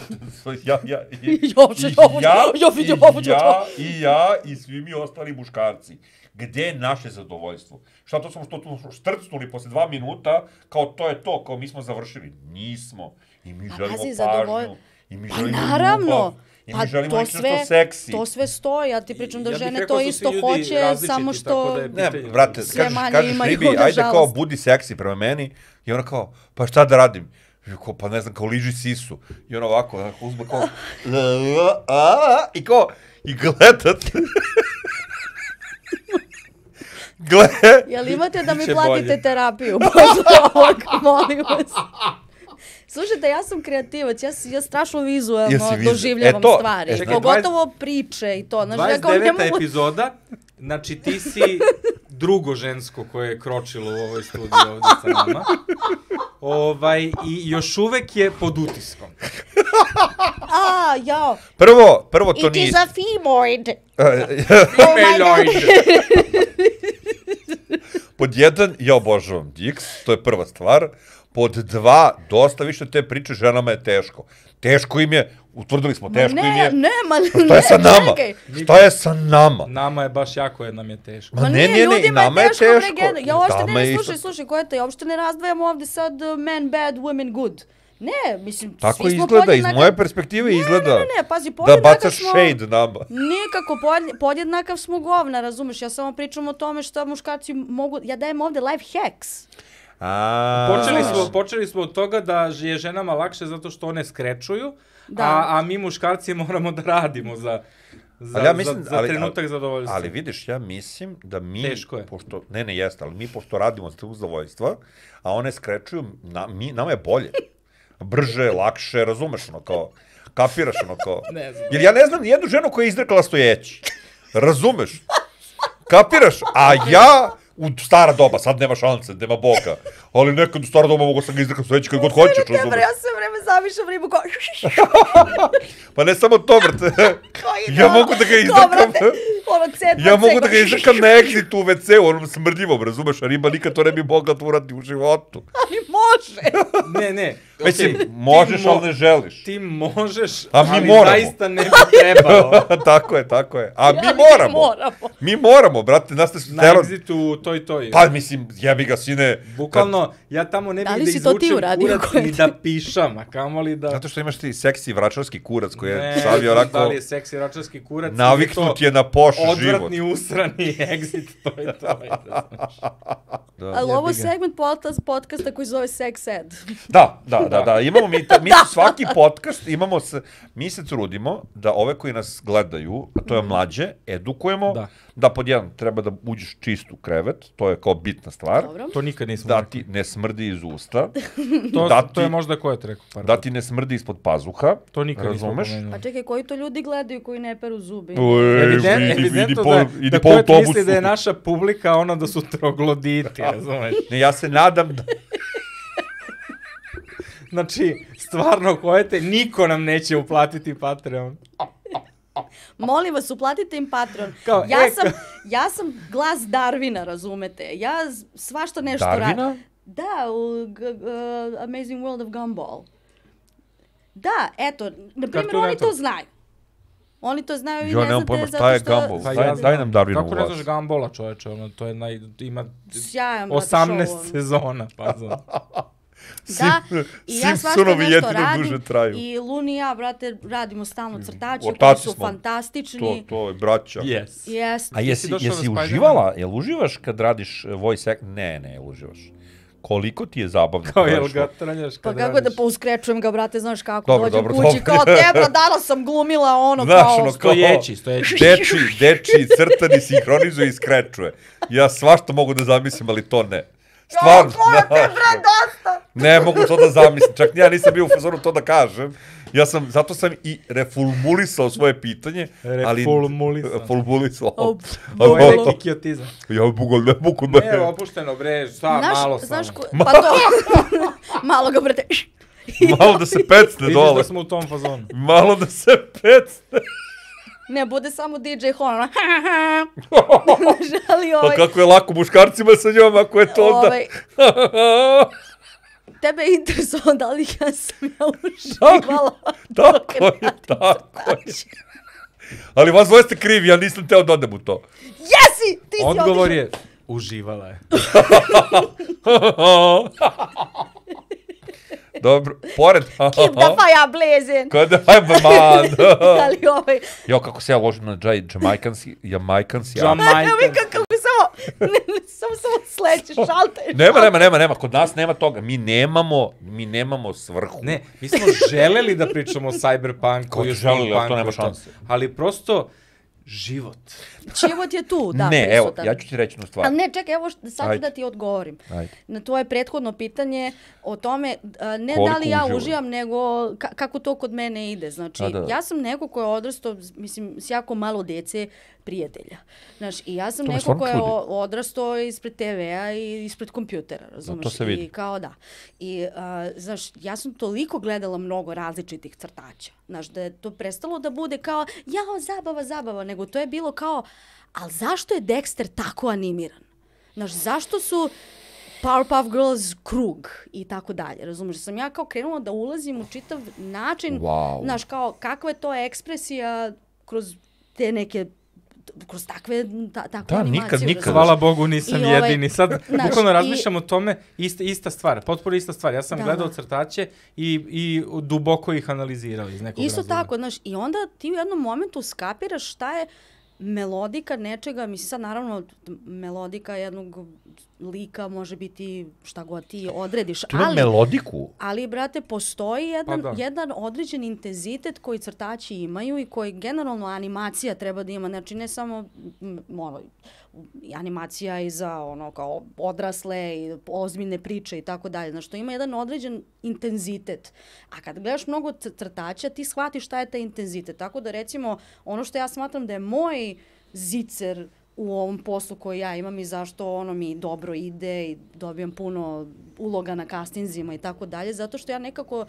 i ja i svi mi ostali muškarci. Gde je naše zadovoljstvo? Šta to smo što tu štrcnuli posle 2 minuta, kao to je to, kao mi smo završili. Nismo. I mi Pa želimo pazi, pažnju. I mi Pa želimo naravno. ljubav. I mi želimo nešto što seksi. To sve stoji, ja ti pričam da Ja bih žene rekao to su isto svi ljudi hoće, različiti, samo tako što... da je Ne, pitanje. brate, Sve manje kažeš imaju, ribi, ajde nažalost. kao budi seksi prema meni. I ona kao, pa šta da radim? I kao, pa ne znam, kao liži sisu. I ona ovako uzme kao, i kao, i gledat. Jel imate da mi Biće platite bolje. terapiju posle ovog, molim vas. Slušajte, ja sam kreativac, ja strašno vizualno Jesi vizualno. doživljavam E to, stvari. čekaj, Pogotovo priče i to. Znaš, ja kao ne 29. mogu... epizoda, znači ti si drugo žensko koje je kročilo u ovoj studiji ovdje sa nama. I još uvek je pod utiskom. Jao. Prvo to It nije. is a femoid. Femaloid. Pod 1, ja obožavam Dix, to je prva stvar. Pod 2, dosta više te priče, ženama je teško. Teško im je, utvrdili smo, teško im je. Šta je sa nama? čekaj. Šta je sa nama? Nama je baš jako, jer nam je teško. Ma ne, nije, i ljudima nama je je teško. teško. Ja uopšte Nama je ne, isto- slušaj, koja je to, ja uopšte ne razdvajam ovde sad men bad, women good. Ne, mislim, Tako svi smo izgleda, iz podjednaka- moje perspektive izgleda Ne, pazi, da podjednakav bacaš smo... shade nama. Nikako, podjednakav smo govna, razumeš? Ja samo pričam o tome šta muškarci mogu... Ja dajem ovde life hacks. Počeli smo od toga da je ženama lakše zato što one skrečuju, Da. a mi muškarci moramo da radimo za trenutak zadovoljstva. Ali vidiš, ja mislim da mi... Teško je. Pošto, ne, jeste, ali mi pošto radimo za zadovoljstva, a one skrečuju, nama je bolje. Brže, lakše, razumeš, ono kao... Kapiraš, ono kao... Ne znam. Jer ja ne znam nijednu ženu koja je izdrkala stojeći. Razumeš? Kapiraš? A ja... U stara doba, sad nema šanse, nema Boga. Ali nekad u stara doba mogu sam ga izdrkati sveći kad god hoćeš, razumeš? Ja sve vreme zamišljam ribu kao... Pa ne samo to, brate. Ja mogu da ga izdrkam. Ja mogu da ga izdrkam na exitu u WC-u, onom smrdljivom, razumeš? A riba nikad to ne bi mogla da uradi u životu. Ali može! Ne. Mislim, možeš, ali ne želiš. Ti možeš, A mi ali moramo. zaista ne bi trebalo. Tako je. A mi Ali moramo. Mi moramo, brate, nas ne... Na exitu toj. Pa, mislim, jebi ga, sine. Bukvalno, ja tamo ne Da bih li da si to ti izvučem uradio, kurac koje ni ti- da pišam, a kamoli da... Zato što imaš ti seksi vračarski kurac koji je Ne, savio da onako... li je seksi račarski kurac, Naviknut je na poš život. odvratni usrani exit, to je to. Ali ovo je Jebi ga. segment podcasta koji zove Sex Ed. Da, imamo mi svaki podcast, mi se trudimo da ove koji nas gledaju, a to je mlađe, edukujemo, da pod jedan treba da uđeš čist u krevet, to je kao bitna stvar, Dobro. To nikad nismo da rekli. ti ne smrdi iz usta, To je možda ko je to rekao. da ti ne smrdi ispod pazuha, To nikad nismo razumeš? pomenuli. Pa čekaj, koji to ljudi gledaju koji ne peru zubi? Evidentno da po Koet autobusu. misli da je naša publika ono da su trogloditi, razumeš? Ne, ja se nadam da... Znači, stvarno Koete, niko nam neće uplatiti Patreon. Molim vas, uplatite im Patreon. Kao, Ja sam glas Darwina, razumete? Ja svašta nešto radim. Darwina? Da, u Amazing World of Gumball. Da, eto, na primjer, Cartoon oni to Network. znaju. Oni to znaju i Jo, ne nemam znate pojma zato šta je što... Gumball. Pa ja Daj nam Darwinovu Kako ne glas. znaš Gambola, čoveče, ono, to je ima Sjajan, brate, 18 show, ono. sezona, pazom. Da, i ja svašta Simpsonovi nešto jedino radim duže traju. i Luni i ja, brate, radimo stalno crtače koji Ortaci su smo. fantastični. To je braća. Yes. Jest. A jesi došao na Spider-Man? uživala? Jel uživaš kad radiš voice act? Ne, uživaš. Koliko ti je zabavno? Kao kad jel radiš ga to? traljaš Pa kad kako radiš? da pouskrećujem ga, brate, znaš kako, Dobro, dođem dobro, kući, dobro. kao tebra, danas sam glumila ono Znaš, kao... ono, Stojeći. Dečiji crtani sinhronizuje i skrečuje. Ja svašta mogu da zamislim, ali to ne. Stvarno, znaš, ne mogu to da zamislim. Čak ja nisam bio u fazonu to da kažem. Zato sam i reformulisao svoje pitanje. Reformulisao. Ovo je neki kiotizam. Ja ne mogu. Ne, opušteno, bre, malo Znaš, samo. pa to... Malo ga, brate... Malo da se pecne Vidiš dole. da smo u tom fazonu. Malo da se pecne. Ne, bude samo DJ Hon, ono... Ali Pa kako je lako muškarcima sa njom, ako je to onda... Tebe je interesovalo da li ja sam ja uživala. Tako je. Ali vas dvoje ste krivi, ja nisam teo da odem u to. Jesi! Ti si Odgovor otišao. je, uživala je. Dobro, pored... Keep the fire blazing! Kada, man. Ali Jo, kako se ja ložim na Jamaicansi. Evo kako samo sleće, šalter. Nema, kod nas nema toga. Mi nemamo svrhu. Ne, mi smo želeli da pričamo o cyberpunku i želeli, ali to nema šanse. Ali prosto, život. Život je tu, da, Ne, prisutan. evo, ja ću ti reći jednu stvar. Ali ne, čekaj, evo sad ću da ti odgovorim. Ajde. Na tvoje prethodno pitanje o tome, ne Koliko da li ja uživaš? uživam, nego kako to kod mene ide. Znači, Da. ja sam neko ko je odrastao, mislim, s jako malo dece prijatelja. Znaš, i ja sam To me neko stvarno ko je čudi. odrastao ispred TV-a i ispred kompjutera, razumeš? to se vidi. I kao da. I, znaš, ja sam toliko gledala mnogo različitih crtača. Znaš, da je to prestalo da bude kao, jao, zabava, nego to je bilo kao, ali zašto je Dexter tako animiran? Znaš, zašto su Powerpuff Girls krug i tako dalje, razumiješ? Sam ja kao krenula da ulazim u čitav način, Wow. znaš, kao kakva je to ekspresija kroz te neke kroz takvu animaciju. nikad. Hvala Bogu nisam jedini. Sad bukvalno razmišljam o tome, ista stvar, potpuno ista stvar. Ja sam gledao crtače i duboko ih analizirao iz nekog razloga. Isto tako, znaš, i onda ti u jednom momentu skapiraš šta je melodika nečega, mislim sad naravno melodika jednog lika može biti šta god ti odrediš. Tu ima melodiku. Ali, brate, postoji jedan određen intenzitet koji crtači imaju i koji generalno animacija treba da ima. Znači, ne samo animacija i za kao odrasle i ozbiljne priče i tako dalje. Znači, to ima jedan određen intenzitet. A kad gledaš mnogo crtača, ti shvatiš šta je taj intenzitet. Tako da, recimo, ono što ja smatram da je moj zicer u ovom poslu koji ja imam i zašto mi dobro ide i dobijam puno uloga na castingzima i tako dalje, zato što ja nekako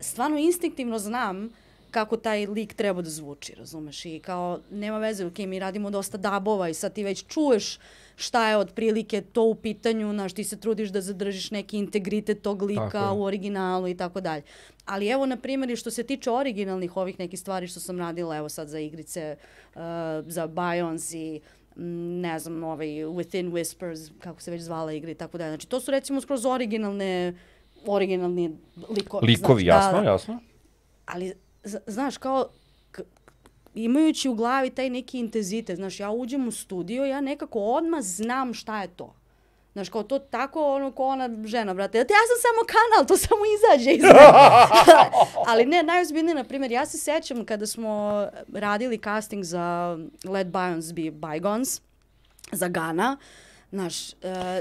stvarno instinktivno znam kako taj lik treba da zvuči, razumeš? I kao, nema veze, ok, mi radimo dosta dabova i sad ti već čuješ šta je otprilike to u pitanju, znaš, ti se trudiš da zadržiš neki integritet tog lika u originalu i tako dalje. Ali evo, na primjer, što se tiče originalnih ovih nekih stvari što sam radila, evo sad za igrice, za Bionis i ne znam, Within Whispers, kako se već zvala igra i tako dalje. Znači, to su recimo skroz originalni likovi. Likovi, znači, jasno. Ali, znaš, kao, imajući u glavi taj neki intenzitet, znaš, ja uđem u studio, ja nekako odmah znam šta je to. Znaš, kao to tako, ko ona žena, brate, ja sam samo kanal, to samo izađe iz mene. Ali ne, najozbiljnije, na primjer, ja se sećam kada smo radili casting za Let Bygones Be Bygones, za Gana, znaš...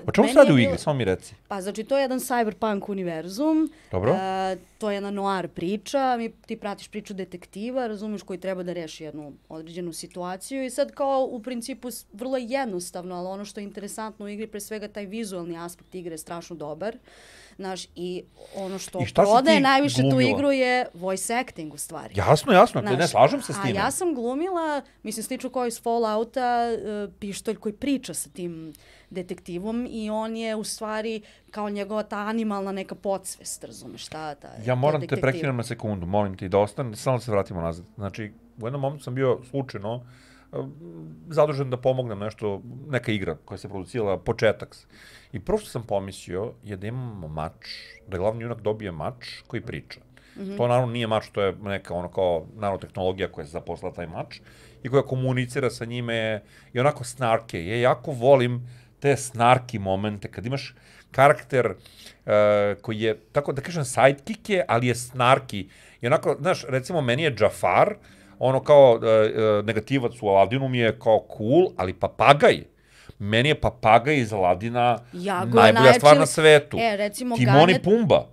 O čemu se radi u igri, samo mi reci. Pa, znači, to je jedan cyberpunk univerzum. Dobro. To je jedna noir priča. Ti pratiš priču detektiva, razumiješ, koji treba da reši jednu određenu situaciju. I sad kao, u principu, vrlo jednostavno, ali ono što je interesantno u igri, pre svega taj vizualni aspekt igre je strašno dobar. Znaš, i ono što prodaje najviše tu igru je voice acting, u stvari. Jasno, ne slažem se s time. A ja sam glumila, mislim, slično kao iz Fallouta, pištolj koji priča sa tim detektivom i on je u stvari kao njegova ta animalna neka podsvest, razumeš šta ta ja moram te prekinem na sekundu, molim ti da ostane, samo da se vratimo nazad. Znači, u jednom momentu sam bio slučajno zadužen da pomognem nešto, neka igra koja se producirala, početak. I prvo što sam pomislio je da imamo mač, da glavni junak dobije mač koji priča. To naravno nije mač, to je neka kao nanotehnologija koja je zaposlala taj mač i koja komunicira sa njime i onako snarke. Ja jako volim te snarki momente, kad imaš karakter koji je, tako da kažem, sidekick je, ali je snarki. I onako, znaš, recimo, meni je Jafar, ono kao negativac u Aladinu mi je kao cool, ali papagaj. Meni je papagaj iz Aladina najbolja stvar na svetu. Timon i Pumba.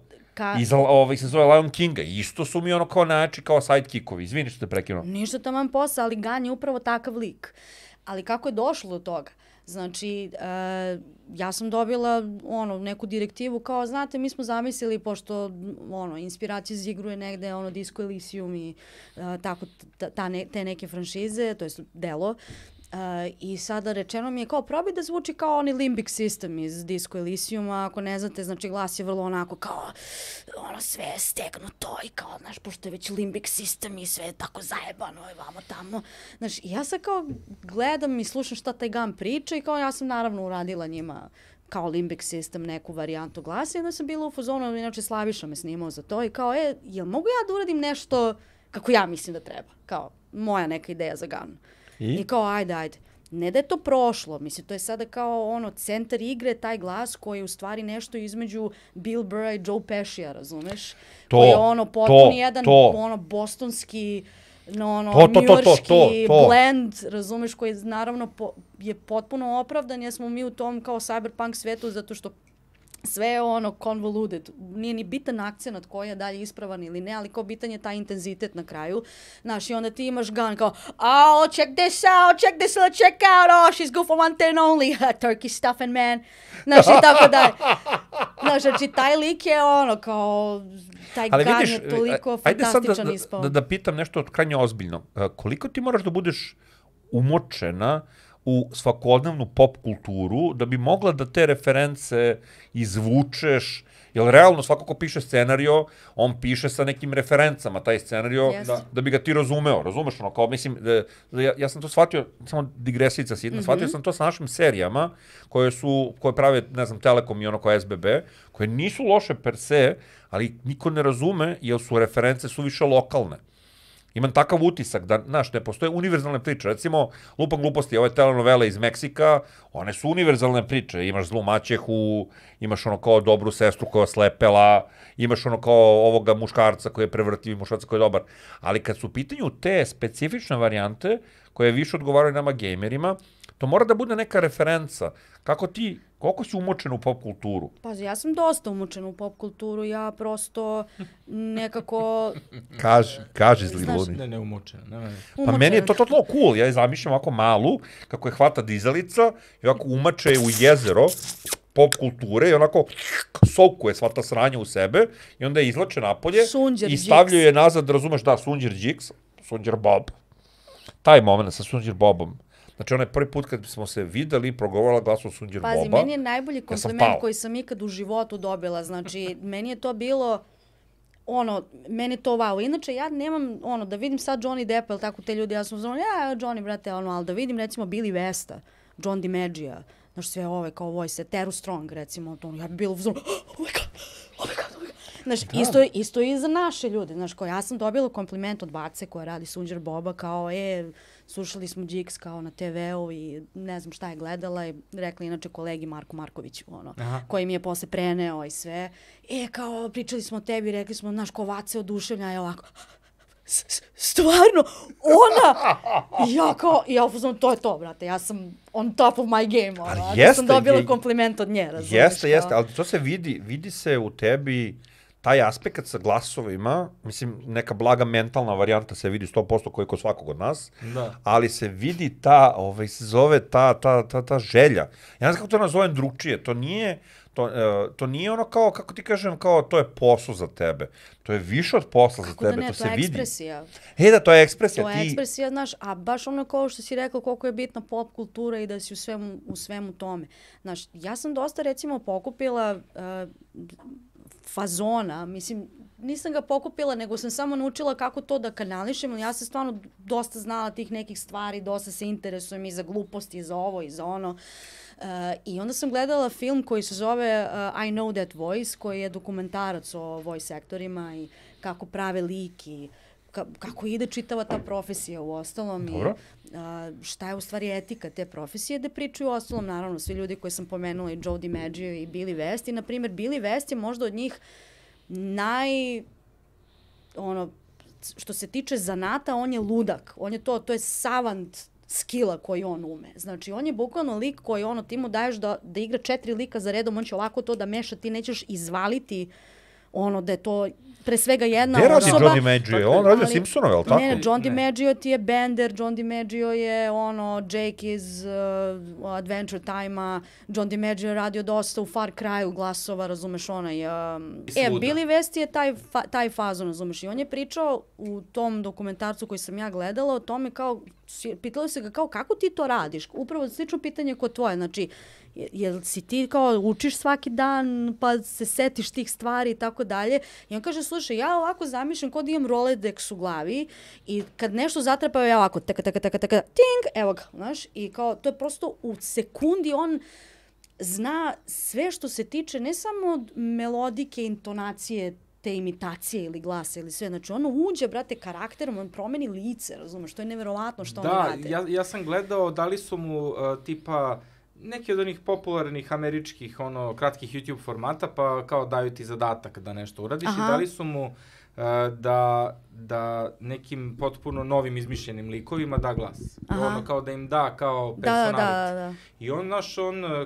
Se zove Lion Kinga. Isto su mi ono kao najjači, kao sidekickovi. Izvini što te prekinuo. Ništa taman posla, ali Gan je upravo takav lik. Ali kako je došlo do toga? Znači, ja sam dobila neku direktivu kao, znate, mi smo zamislili, pošto inspiracija za igru je negde Disco Elysium i tako te neke franšize, to je delo. I sada rečeno mi je kao, probaj da zvuči kao oni Limbic System iz Disco Elysiuma, ako ne znate, znači glas je vrlo onako kao, sve je stegnuto i kao, znaš, pošto je već Limbic System i sve je tako zajebano i vamo tamo. Znaš, ja sad kao gledam i slušam šta taj Gan priča i kao ja sam naravno uradila njima kao Limbic System neku varijantu glasa i onda sam bila u fazonu, inače Slaviša me snimao za to i kao, jel mogu ja da uradim nešto kako ja mislim da treba? Kao, moja neka ideja za Gan. I kao, ajde. Ne da je to prošlo, mislim, to je sada kao centar igre, taj glas koji je u stvari nešto između Bill Burra i Joe Pesci-a, razumeš? Koji je potpuno jedan bostonski, njujorški blend, razumeš, koji naravno je potpuno opravdan, jer smo mi u tom kao cyberpunk svetu, zato što sve je convoluted, nije ni bitan akcenat koji je dalje ispravan ili ne, ali kao bitan je taj intenzitet na kraju. Znaš, i onda ti imaš Gun kao, check this out, check out, she's good for one thing only, turkey stuffing man. Znaš, i tako dalje. Znaš, znači, taj lik je kao, taj Gun je toliko fantastičan ispao. Ajde sad da pitam nešto krajnje ozbiljno. Koliko ti moraš da budeš umočena u svakodnevnu pop kulturu, da bi mogla da te reference izvučeš Jer realno svako ko piše scenario, on piše sa nekim referencama, taj scenario, da bi ga ti razumeo. Razumeš ono, kao mislim, ja sam to shvatio, samo digresica sitna, shvatio sam to sa našim serijama, koje prave, ne znam, Telekom i ono kao SBB, koje nisu loše per se, ali niko ne razume, jer su reference suviše lokalne. Imam takav utisak da, znaš, ne postoje univerzalne priče. Recimo, lupam gluposti, ove telenovele iz Meksika, one su univerzalne priče. Imaš zlu maćehu, imaš ono kao dobru sestru koja je slepela, imaš ono kao ovoga muškarca koji je prevrtljiv, muškarca koji je dobar. Ali kad su u pitanju te specifične varijante, koje više odgovaraju nama gamerima, to mora da bude neka referenca. Koliko si umočen u pop kulturu? Pazi, ja sam dosta umočen u pop kulturu, ja prosto nekako... Kaži zli luni. Ne umočen. Pa meni je to cool, ja je zamišljam ovako malu, kako je hvata dizalica i ovako umače u jezero pop kulture i onako sokuje sva ta sranja u sebe i onda je izlače napolje i stavljaju je nazad, razumeš, da, Sunđer Džiks, Sunđer Bob. Taj moment sa Sunđer Bobom. Znači, onaj prvi put kad smo se videli, progovorila glasom Sunđer Boba. Pazi, meni je najbolji kompliment koji sam ikad u životu dobila. Znači, meni je to bilo, meni to wow. Inače, ja nemam, da vidim sad Johnny Depp, ili tako te ljudi, ja sam znala, Johnny, brate, ali da vidim, recimo, Billy Westa, John DiMaggio, znaš, sve ove kao voice, Teru Strong, recimo, ja bi bila uzmano, oh my god. Znaš, isto i za naše ljude, znaš, ja sam dobila kompliment od bace koja radi Sunđer Boba, kao, slušali smo Džiks kao na TV-u i ne znam šta je gledala i rekla inače kolegi Marku Markoviću, koji mi je posle preneo i sve. Kao, pričali smo o tebi, rekli smo, znaš, ko Vace oduševlja, je ovako, stvarno, ona! Ja uzmano, to je to, brate, ja sam on top of my game, ja sam dobila kompliment od nje, razumiješ? Jeste, ali to se vidi se u tebi, taj aspekt sa glasovima, mislim, neka blaga mentalna varijanta se vidi 100% koji kod svakog od nas, ali se vidi ta želja. Ja ne znam kako to nazovem drugčije, to nije ono kao, kako ti kažem, kao to je posao za tebe. To je više od posla za tebe, to se vidi. To je ekspresija. Da, to je ekspresija. To je ekspresija, znaš, a baš ono kao što si rekao koliko je bitna pop kultura i da si u svemu tome. Znaš, ja sam dosta, recimo, pokupila fazona, mislim, nisam ga pokupila, nego sam samo naučila kako to da kanališem, ja sam stvarno dosta znala tih nekih stvari, dosta se interesujem i za gluposti, i za ovo, i za ono. I onda sam gledala film koji se zove I Know That Voice, koji je dokumentarac o voice aktorima i kako prave lik i kako ide čitava ta profesija u ostalom i šta je u stvari etika te profesije, da pričaju u ostalom, naravno, svi ljudi koji sam pomenula, i Joe DiMaggio i Billy West, i na primjer Billy West je možda od njih što se tiče zanata, on je ludak, on je to je savant skilla koji on ume. Znači, on je bukvalno lik koji ti mu daješ da igra 4 lika za redom, on će ovako to da meša, ti nećeš izvaliti da je to pre svega jedna osoba. Gde radi John DiMaggio? On radio Simpsonove, ali tako? Ne, John DiMaggio ti je Bender, John DiMaggio je Jake iz Adventure Time-a, John DiMaggio je radio dosta u Far Cry-u glasova, razumeš, Billy West je taj fazon, razumeš, i on je pričao u tom dokumentarcu koji sam ja gledala o tome kao, pitali se ga kao kako ti to radiš, upravo slično pitanje kod tvoje, znači, jel si ti kao učiš svaki dan pa se setiš tih stvari i tako dalje. I on kaže, slušaj, ja ovako zamišljam kod imam Rolodex u glavi i kad nešto zatrapaju, ja ovako taka, ting, evo ga, znaš, i kao to je prosto u sekundi on zna sve što se tiče ne samo melodike, intonacije, te imitacije ili glasa ili sve. Znači, ono uđe, brate, karakterom, on promeni lice, razumeš, to je neverovatno što oni rade. Da, ja sam gledao, dali su mu tipa neki od onih popularnih američkih, kratkih YouTube formata, pa kao daju ti zadatak da nešto uradiš i dali su mu da nekim potpuno novim izmišljenim likovima da glas. Kao da im da kao personality. I on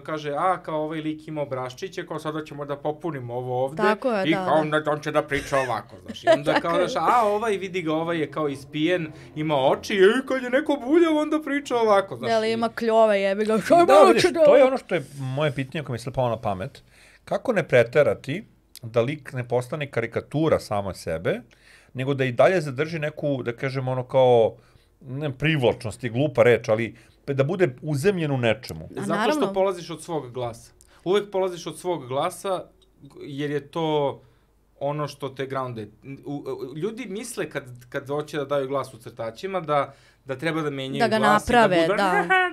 kaže, kao ovaj lik ima obraščiće, kao sada ćemo da popunimo ovo ovde i kao on će da priča ovako, znaš. I onda kao ovaj vidi ga, ovaj je kao ispijen, ima oči i kad je neko buljav, onda priča ovako, znaš. Da li ima kljove, jebi ga. Da, vidiš, to je ono što je moje pitanje koje mi se palo na pamet. Kako ne preterati da lik ne postane karikatura samo sebe, nego da i dalje zadrži neku, da kažem, kao, ne privlačnost je glupa reč, ali da bude uzemljen u nečemu. Zato što polaziš od svog glasa. Uvek polaziš od svog glasa jer je to ono što te grounde. Ljudi misle kad hoće da daju glas u crtačima da treba da menjaju glas. Da ga naprave,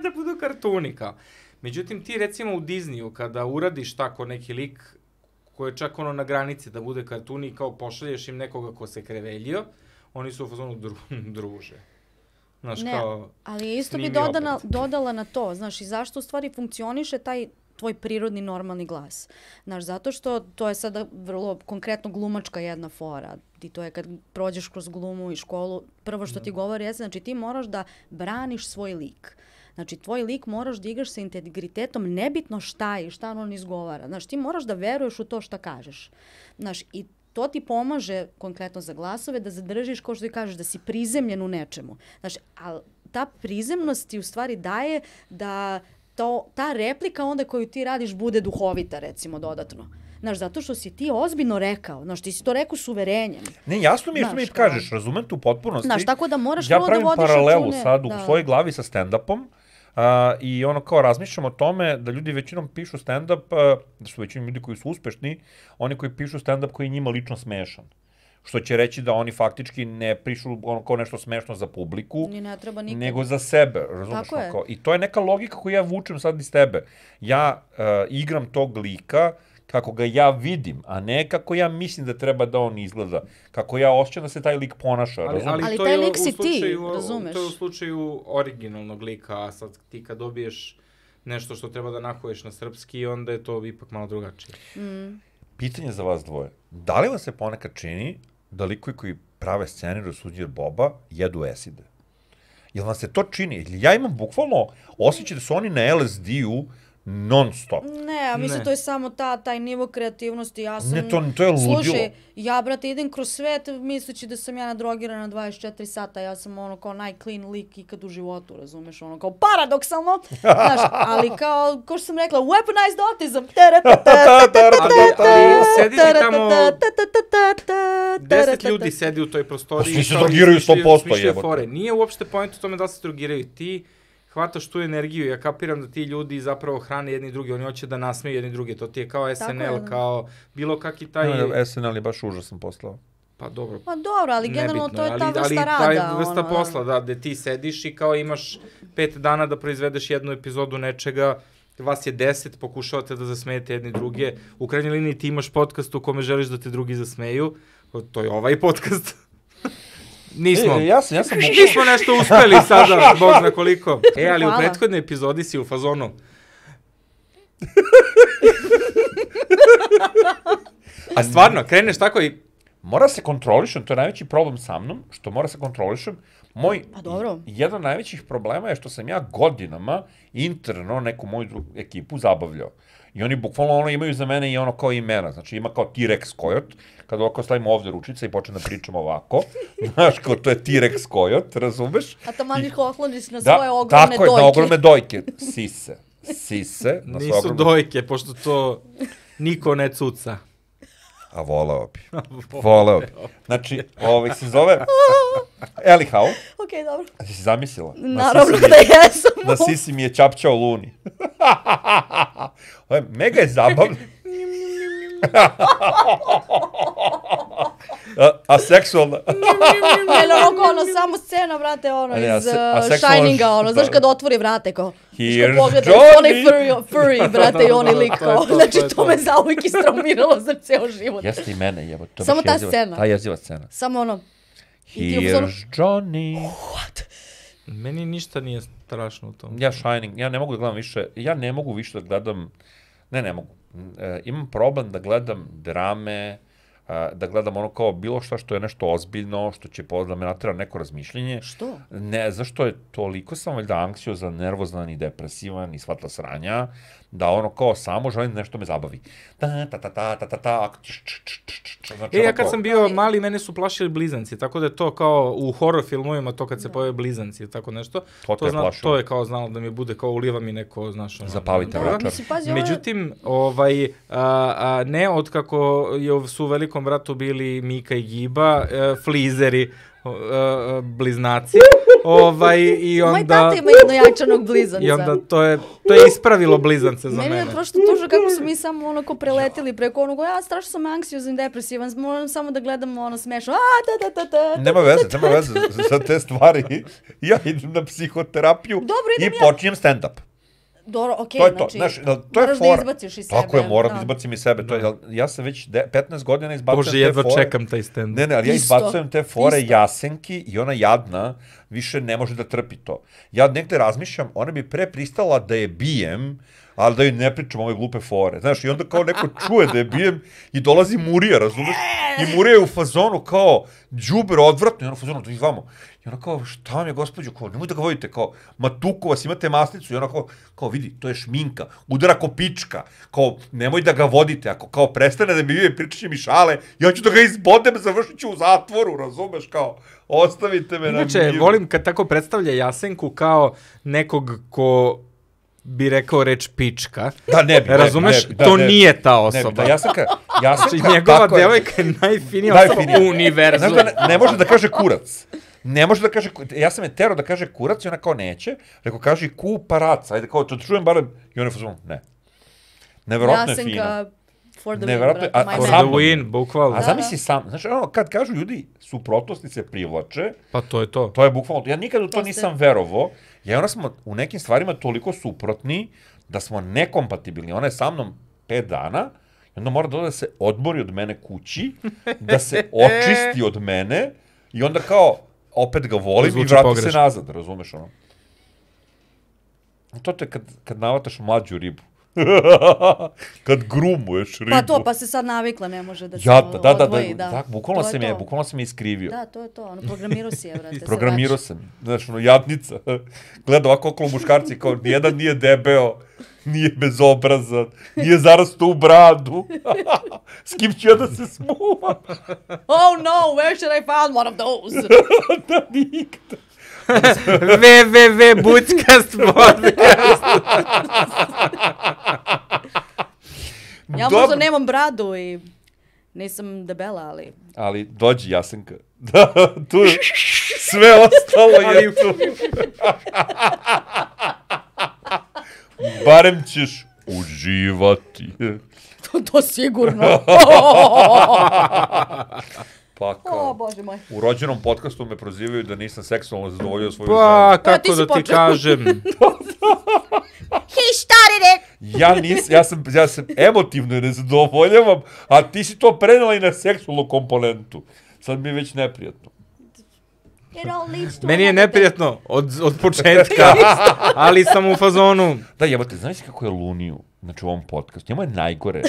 da budu kartuni kao. Međutim, ti recimo u Disneyu, kada uradiš tako neki lik koji je čak na granici da bude kartuni i kao pošalješ im nekoga ko se kreveljio, oni su u fazonu druže. Znaš, ne, kao, ali isto bi dodala na to, znaš, i zašto u stvari funkcioniše taj tvoj prirodni normalni glas. Znaš, zato što to je sada vrlo konkretno glumačka jedna fora. I to je kad prođeš kroz glumu i školu, prvo što ti govori jeste, znači ti moraš da braniš svoj lik. Znači, tvoj lik moraš da igraš sa integritetom, nebitno šta je i šta on izgovara. Znaš, ti moraš da veruješ u to šta kažeš. Znaš, i to ti pomaže, konkretno za glasove, da zadržiš, kao što ti kažeš, da si prizemljen u nečemu. Znaš, ali ta prizemnost ti u stvari daje da ta replika onda koju ti radiš bude duhovita, recimo, dodatno. Znaš, zato što si ti ozbiljno rekao. Znaš, ti si to rekao s uverenjem. Ne, jasno mi je što mi kažeš, razumem tu potpunosti. Znaš, tako da moraš prvo da vodiš račune. Ja pravim paralelu sad u svojoj glavi sa stand-upom i ono kao razmišljam o tome da ljudi većinom pišu stand-up, da su većinom ljudi koji su uspešni, oni koji pišu stand-up koji je njima lično smešan. Što će reći da oni faktički ne pišu ono kao nešto smešno za publiku, nego za sebe, razumiješ? I to je neka logika koju ja vučem sad iz tebe. Ja igram tog lika kako ga ja vidim, a ne kako ja mislim da treba da on izgleda. Kako ja osjećam da se taj lik ponaša, razumiješ? Ali taj lik si ti, razumeš? To je u slučaju originalnog lika, a sad ti kad dobiješ nešto što treba da nahuješ na srpski, onda je to ipak malo drugačije. Pitanje za vas dvoje. Da li vam se ponekad čini da likovi koji prave scenariju Suđer Boba jedu eside? Jel vam se to čini? Ja imam bukvalno osjećaj da su oni na LSD-u non stop. Ne, mislim to je samo taj nivo kreativnosti. Ja sam, ne, to je ludilo. Slušaj, ja, brate, idem kroz svet misleći da sam ja nadrogirana 24 sata. Ja sam ono kao najclean lik ikad u životu, razumeš? Ono kao paradoksalno. Znaš, ali kao što sam rekla, weaponized autism. Ali sedi ti tamo 10 ljudi sedi u toj prostoriji. Svi se drogiraju 100%, jebote. Nije uopšte point u tome da se drogiraju. Ti hvataš tu energiju, ja kapiram da ti ljudi zapravo hrane jedni drugi, oni hoće da nasmeju jedni drugi, to ti je kao SNL, kao bilo kakvi taj... Ne, SNL je baš užasan poslao. Pa dobro. Pa dobro, ali generalno to je ta vrsta rada. Ali ta vrsta posla, da, gde ti sediš i kao imaš 5 dana da proizvedeš jednu epizodu nečega, vas je 10, pokušavate da zasmejete jedni druge, u krajnjoj liniji ti imaš podcast u kome želiš da te drugi zasmeju, to je ovaj podcast. Nismo. Nismo nešto uspeli sada, Bog zna koliko. Ali u prethodnoj epizodi si u fazonu. A stvarno, kreneš tako i... Mora se kontrolišem, to je najveći problem sa mnom, što mora se kontrolišem. Jedan od najvećih problema je što sam ja godinama interno neku moju ekipu zabavljao. I oni bukvalno imaju za mene i ono kao imena. Znači ima kao T-Rex Kojot, kada ovako stavimo ovdje ručice i počne da pričamo ovako. Znaš, kao to je T-Rex Kojot, razumeš? A tamo ih ohloniš na svoje ogromne dojke. Tako je, na ogromne dojke. Sise. Nisu dojke, pošto to niko ne cuca. A voleo bi. Znači, se zove... Anyhow. Okej, dobro. A si zamislila? Naravno da jesam. Na sisi mi je čapčao Luni. Mega je zabavno. A seksualna. Ono, samo scena, brate, iz Shininga, znaš kad otvori vrate, kao, što pogleda, onaj furry, brate, i onaj lik, znači to me zauvijek istraumiralo za ceo život. Jeste i mene, jebo. Samo ta scena. Ta jeziva scena. Samo ono. Here's Johnny. What? Meni ništa nije strašno u tom. Ja Shining, ja ne mogu da gledam više, ne mogu. Imam problem da gledam drame, da gledam ono kao bilo što je nešto ozbiljno, što će da me natera neko razmišljenje. Što? Ne, zašto je toliko sam valjda anksiozan, nervozan i depresivan i svatla sranja, da ono kao samo želim da nešto me zabavi. Ja kad sam bio mali, mene su plašili blizanci, tako da je to kao u horror filmovima, to kad se pojave blizanci i tako nešto. To je kao znalo da mi bude kao uliva mi neko, znaš. Zapalite večer. Međutim, ne od kako su u Velikom bratu bili Mika i Giba, flizeri, bliznaci. I onda... Moj tata ima jednojačanog blizanca. I onda to je ispravilo blizance za mene. Meni je prosto tužno kako su mi samo onako preletili preko onog, strašno sam anksiozan i depresivan, moram samo da gledam smešno, Nema veze za te stvari. Ja idem na psihoterapiju i počinjem stand-up. Dobro, okej, to je to, znači, znaš, to je moraš fora. da izbaciš iz sebe. Tako je, moram da izbacim iz sebe. To je, ja sam već 15 godina izbacujem te fore. Bože, jedva čekam taj stand. Ne, ali ja izbacujem te fore Jasenki i ona jadna više ne može da trpi to. Ja negde razmišljam, ona bi pre pristala da je bijem, ali da joj ne pričam ove glupe fore. Znaš, i onda kao neko čuje da je bijem i dolazi Murija, razumeš? I Murija je u fazonu kao đubre odvratno i ona u fazonu, dođi vamo. I ona kao, šta vam je, gospođo, kao, nemoj da ga vodite, kao, ma tuko vas, imate masnicu. I ona kao, vidi, to je šminka, udara ko pička, kao, nemoj da ga vodite, ako kao prestane da mi vive, pričat će mi šale, ja ću da ga izbodem, završit ću u zatvoru, razumeš, kao, ostavite me na miru. Inače, volim kad tako predstavlja Jasenku kao nekog ko bi rekao reč pička. Da, ne bi. Razumeš? To nije ta osoba. Da, Jasenka, znači, njegova devojka je najfinija osoba u univerzumu. Znaš da ne može da kaže kurac. Ne može da kaže, ja sam je terao da kaže kurac i ona kao neće. Rekao, kaži kuparac, ajde kao, to čujem barem. I ona je fazon, ne. Neverovatno je fina. Jasenka for the Neverovatno win, je, for the win, bukvalno. A zamisli sam, znači, ono, kad kažu ljudi, suprotnosti se privlače. Pa to je to. To je bukvalno, ja nikad u to nisam verovao. Ja i ona smo u nekim stvarima toliko suprotni da smo nekompatibilni. Ona je sa mnom 5 dana i onda mora da se odmori od mene kući, da se očisti od mene i onda kao opet ga volim i vrati se nazad, razumeš ono? To te kad navataš mlađu ribu. Kad grumuješ ribu. Pa se sad navikla, ne može da se odvoji. Da, bukvalno se me iskrivio. Da, to je to, ono, programirao si je, vrate. Programirao sam, znaš, ono, jadnica. Gleda ovako okolo muškarci, kao, nijedan nije debeo, nije bezobrazan, nije zarastao u bradu. S kim ću ja da se smuvam? Oh no, where should I find one of those? Da, nikada. www.buckcast podcast. Ja možda nemam bradu i nisam debela, ali... Ali dođi Jasenka. Da, tu sve ostalo je tu. Barem ćeš uživati. To sigurno. Pa kao, Bože moj. u rođenom podcastu me prozivaju da nisam seksualno zadovoljio svoju ženu. Pa, kako da ti kažem? He started it! Ja sam emotivno nezadovoljavam, a ti si to prenela i na seksualnu komponentu. Sad mi je već neprijatno. Meni je neprijatno od početka, ali sam u fazonu. Da, jebate, znaš kako je Luniju, znači u ovom podcastu, njemu je najgore.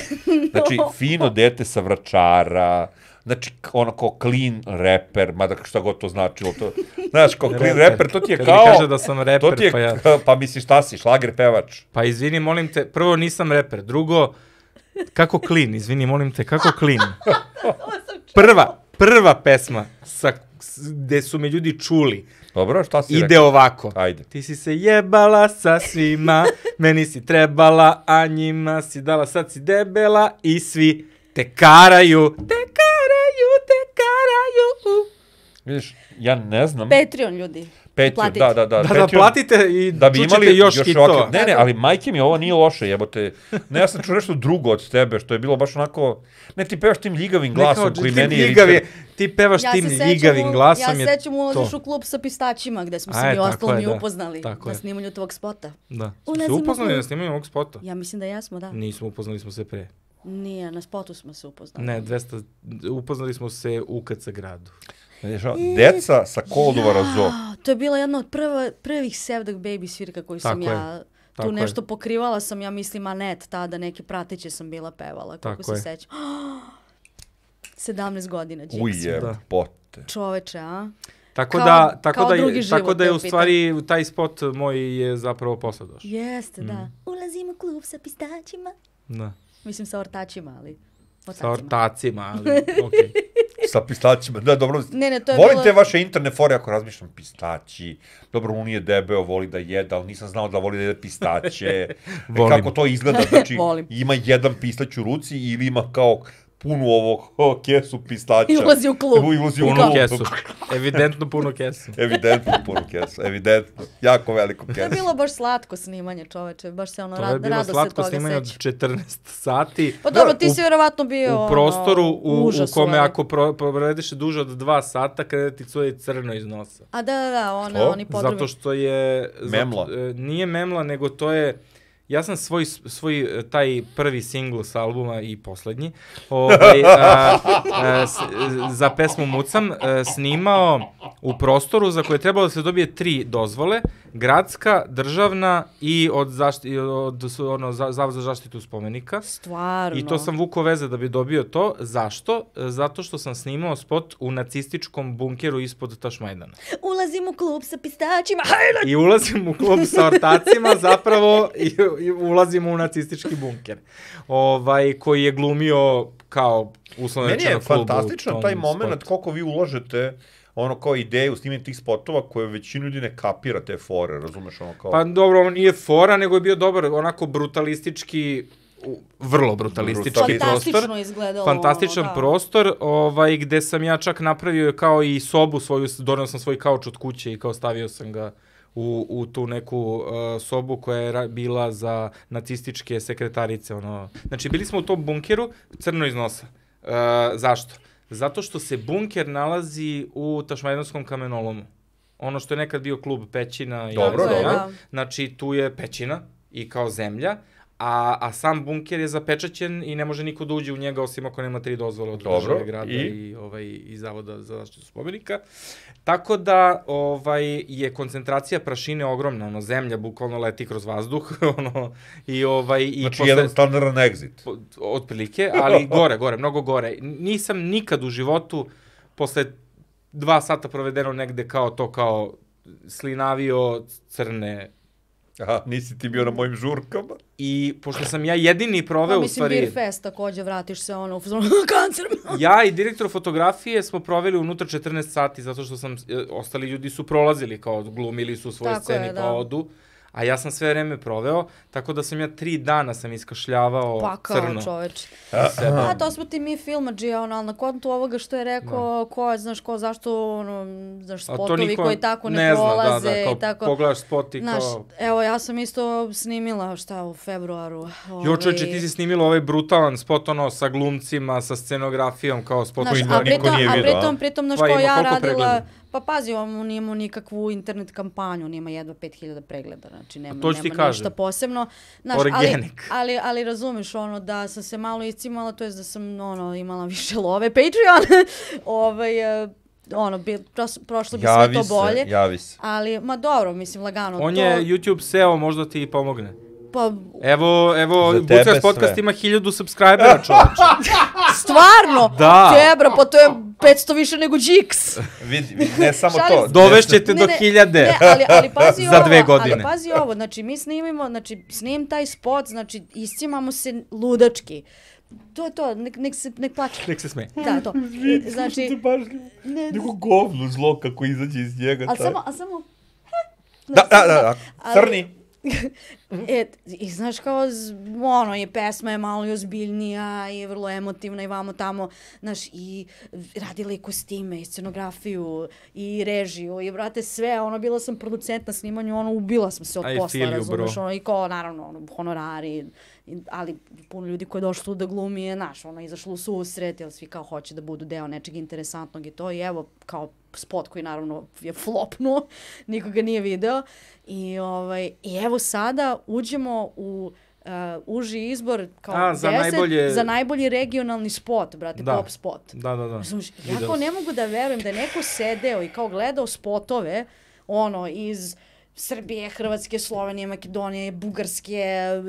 Znači, fino dete sa Vračara, znači, ono kao clean reper, mada šta god to značilo, to, znaš, kao clean reper, to ti je kao... Kad mi kaže da sam reper, pa ja... Pa misliš, šta si, šlager pevač? Pa izvini, molim te, prvo nisam reper, drugo, kako clean, izvini, molim te, kako clean? Prva pesma gde su me ljudi čuli. Dobro, šta si ide rekao? Ovako. Ajde. Ti si se jebala sa svima, meni si trebala, a njima si dala, sad si debela i svi te karaju. Vidiš, ja ne znam. Patreon, ljudi. Patreon, da. Da, platite i da bi čućete imali još hitova. Ne, ali majke mi, ovo nije loše, jebote. Ne, ja sam čuo nešto drugo od tebe, što je bilo baš onako... Ne, ti pevaš tim ljigavim glasom koji meni je... Ti pevaš tim ljigavim glasom. Ja sećam ulaziš u klub sa pistaćima, gde smo se mi ostalo mi upoznali na snimanju tvog spota. Da. Smo se upoznali na snimanju ovog spota? Ja mislim da jesmo, da. Nismo, upoznali smo se pre. Nije, na spotu smo se upoznali. Ne, upoznali smo se u KC gradu. Deca sa Kolduvara Zoo. To je bila jedna od prvih Sevdak Baby svirka koju sam ja tu nešto pokrivala sam, ja mislim, Anet, tada neke prateće sam bila pevala, kako se sećam. 17 godina. Ujebote. Čoveče, a? Tako da je u stvari taj spot moj je zapravo posle došao. Jeste, da. Ulazim u klub sa pistaćima. Da. Mislim sa ortačima, ali... Sa ortacima, ali okej. Sa pistaćima, da, dobro. Ne, to je volim te vaše interne fore ako razmišljam pistaći. Dobro, on nije debeo, voli da jede, ali nisam znao da voli da jede pistaće. Kako to izgleda, znači ima jedan pistać u ruci ili ima kao punu kesu pistaća. I ulazi u klub. Ulazi u Puno klub. kesu. Evidentno puno kesu. Evidentno puno kesu, evidentno. Jako veliko To je kesu. bilo baš slatko snimanje, čoveče, baš se ono To je bilo rado se slatko toga snimanje od seća. 14 sati. Pa dobro, ti si vjerovatno bio U prostoru u užas kome ovaj. ako provedeš duže od 2 sata, kada ti cuje crno iz nosa. A da, Što? oni podrubi. Zato što je... Memla. Nije memla, nego to je... Ja sam svoj taj prvi singl s albuma i poslednji za pesmu Mucam snimao u prostoru za koje je trebalo da se dobije 3 dozvole, gradska, državna i od Zavod za zaštitu spomenika. Stvarno. I to sam vukao veze da bi dobio to. Zašto? Zato što sam snimao spot u nacističkom bunkeru ispod Tašmajdana. Ulazim u klub sa pistaćima, I ulazim u klub sa ortacima zapravo i ulazim u nacistički bunker. Koji je glumio kao uslovno Meni je rečeno klub u fantastičan tom taj moment spotu. koliko vi ulažete kao ideju snimanje tih spotova koje većinu ljudi ne kapira te fore, razumeš kao... Pa dobro, on nije fora, nego je bio dobar, onako brutalistički, vrlo brutalistički prostor. fantastično izgledalo. Fantastičan prostor, gde sam ja čak napravio kao i sobu svoju, donio sam svoj kauč od kuće i kao stavio sam ga u tu neku sobu koja je bila za nacističke sekretarice. Znači, bili smo u tom bunkeru, crno iz nosa. Zašto? Zato što se bunker nalazi u Tašmajdanskom kamenolomu. Ono što je nekad bio klub Pećina. Dobro. Znači, tu je pećina i kao zemlja, a sam bunker je zapečaćen i ne može niko da uđe u njega osim ako nema 3 dozvole od države grada i Zavoda za zaštitu spomenika. Tako da je koncentracija prašine ogromna, zemlja bukvalno leti kroz vazduh. Znači, jedan standardan exit. Otprilike, ali gore, mnogo gore. Nisam nikad u životu, posle 2 sata provedeno negde kao slinavio crne. Aha, nisi ti bio na mojim žurkama? I pošto sam ja jedini proveo u stvari... Beer Fest takođe, vratiš se u kancer. Ja i direktor fotografije smo proveli unutra 14 sati, zato što ostali ljudi su prolazili, kao glumili su svoje scene, pa odu. A ja sam sve vreme proveo, tako da sam ja 3 dana sam iskašljavao crno. Pa kao čoveč. To smo ti mi filmadži, ali na kontu ovoga što je rekao, zašto, spotovi koji tako ne prolaze i tako. Pogledaš spot i kao... Evo, ja sam isto snimila, u februaru. Čoveče, ti si snimila ovaj brutalan spot, sa glumcima, sa scenografijom, kao spot koji niko nije vidio. A pritom, što ja radila... Pa pazi, on nije imao nikakvu internet kampanju, on ima jedva 5000 pregleda, znači nema ništa posebno. Organik. Ali razumeš, da sam se malo iscimala, to je da sam imala više love. Patreon! Prošlo bi sve to bolje. Javi se. Ali, dobro, mislim, lagano. On je YouTube SEO, možda ti pomogne. Pa... Evo, Bucas podcast ima 1000 subscribera, čovječe. Stvarno? Da. Tebra, pa to je 500 više nego Jigs. Vidi, ne samo to. Dovešćete do 1000 ali pazi za 2 godine. Ali pazi ovo, znači mi snimim taj spot, znači iscimamo se ludački. To je to, nek plače. Nek se sme. Da, to. Znači... Neko govno zlo kako izađe iz njega. A samo... Da, crni. I znaš kao, je pesma je malo i ozbiljnija i vrlo emotivna i vamo tamo, znaš, i radila i kostime, i scenografiju, i režiju, i brate sve, bila sam producent na snimanju, ubila sam se od posla, razumeš, i kao, naravno, honorari, ali puno ljudi koji je došlo tu da glumi je, znaš, izašlo u susret, jer svi kao hoće da budu deo nečeg interesantnog i to, i evo, kao spot koji naravno je flopnuo, niko ga nije video, i evo sada uđemo u uži izbor kao 10 za najbolji regionalni spot, brate, pop spot. Da. Ja kao ne mogu da verujem da je neko sedeo i kao gledao spotove, iz Srbije, Hrvatske, Slovenije, Makedonije, Bugarske,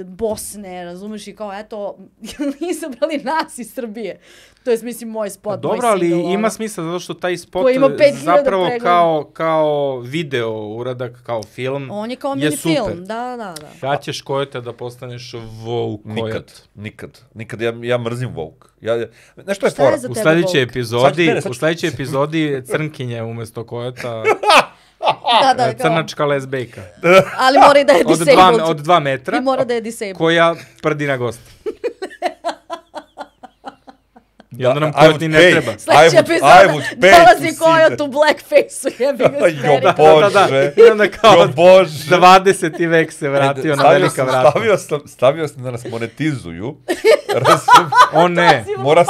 Bosne, razumeš, i kao, eto, izabrali nas iz Srbije. To je, mislim, moj spot, moj dobro, ali single, ima smisla, zato što taj spot zapravo kao video uradak, kao film, on je kao mini film, da. Kad ćeš Kojota da postaneš Vogue Kojot? Nikad. Ja mrzim Vogue. Znaš što je fora? U sledećoj epizodi Crnkinje umesto Kojota... Da, crnačka lesbejka. Ali mora i da je disabled. Od 2 metra. I mora da je disabled. Koja prdi na gost. I onda nam Kojot ni ne treba. Sljedeća epizoda dolazi Kojot u blackface-u, jebi ga speri. Jo Bože. I onda kao Jo Bože. 20. vek se vratio na velika vrata. Stavio sam da nas monetizuju. O ne. Mora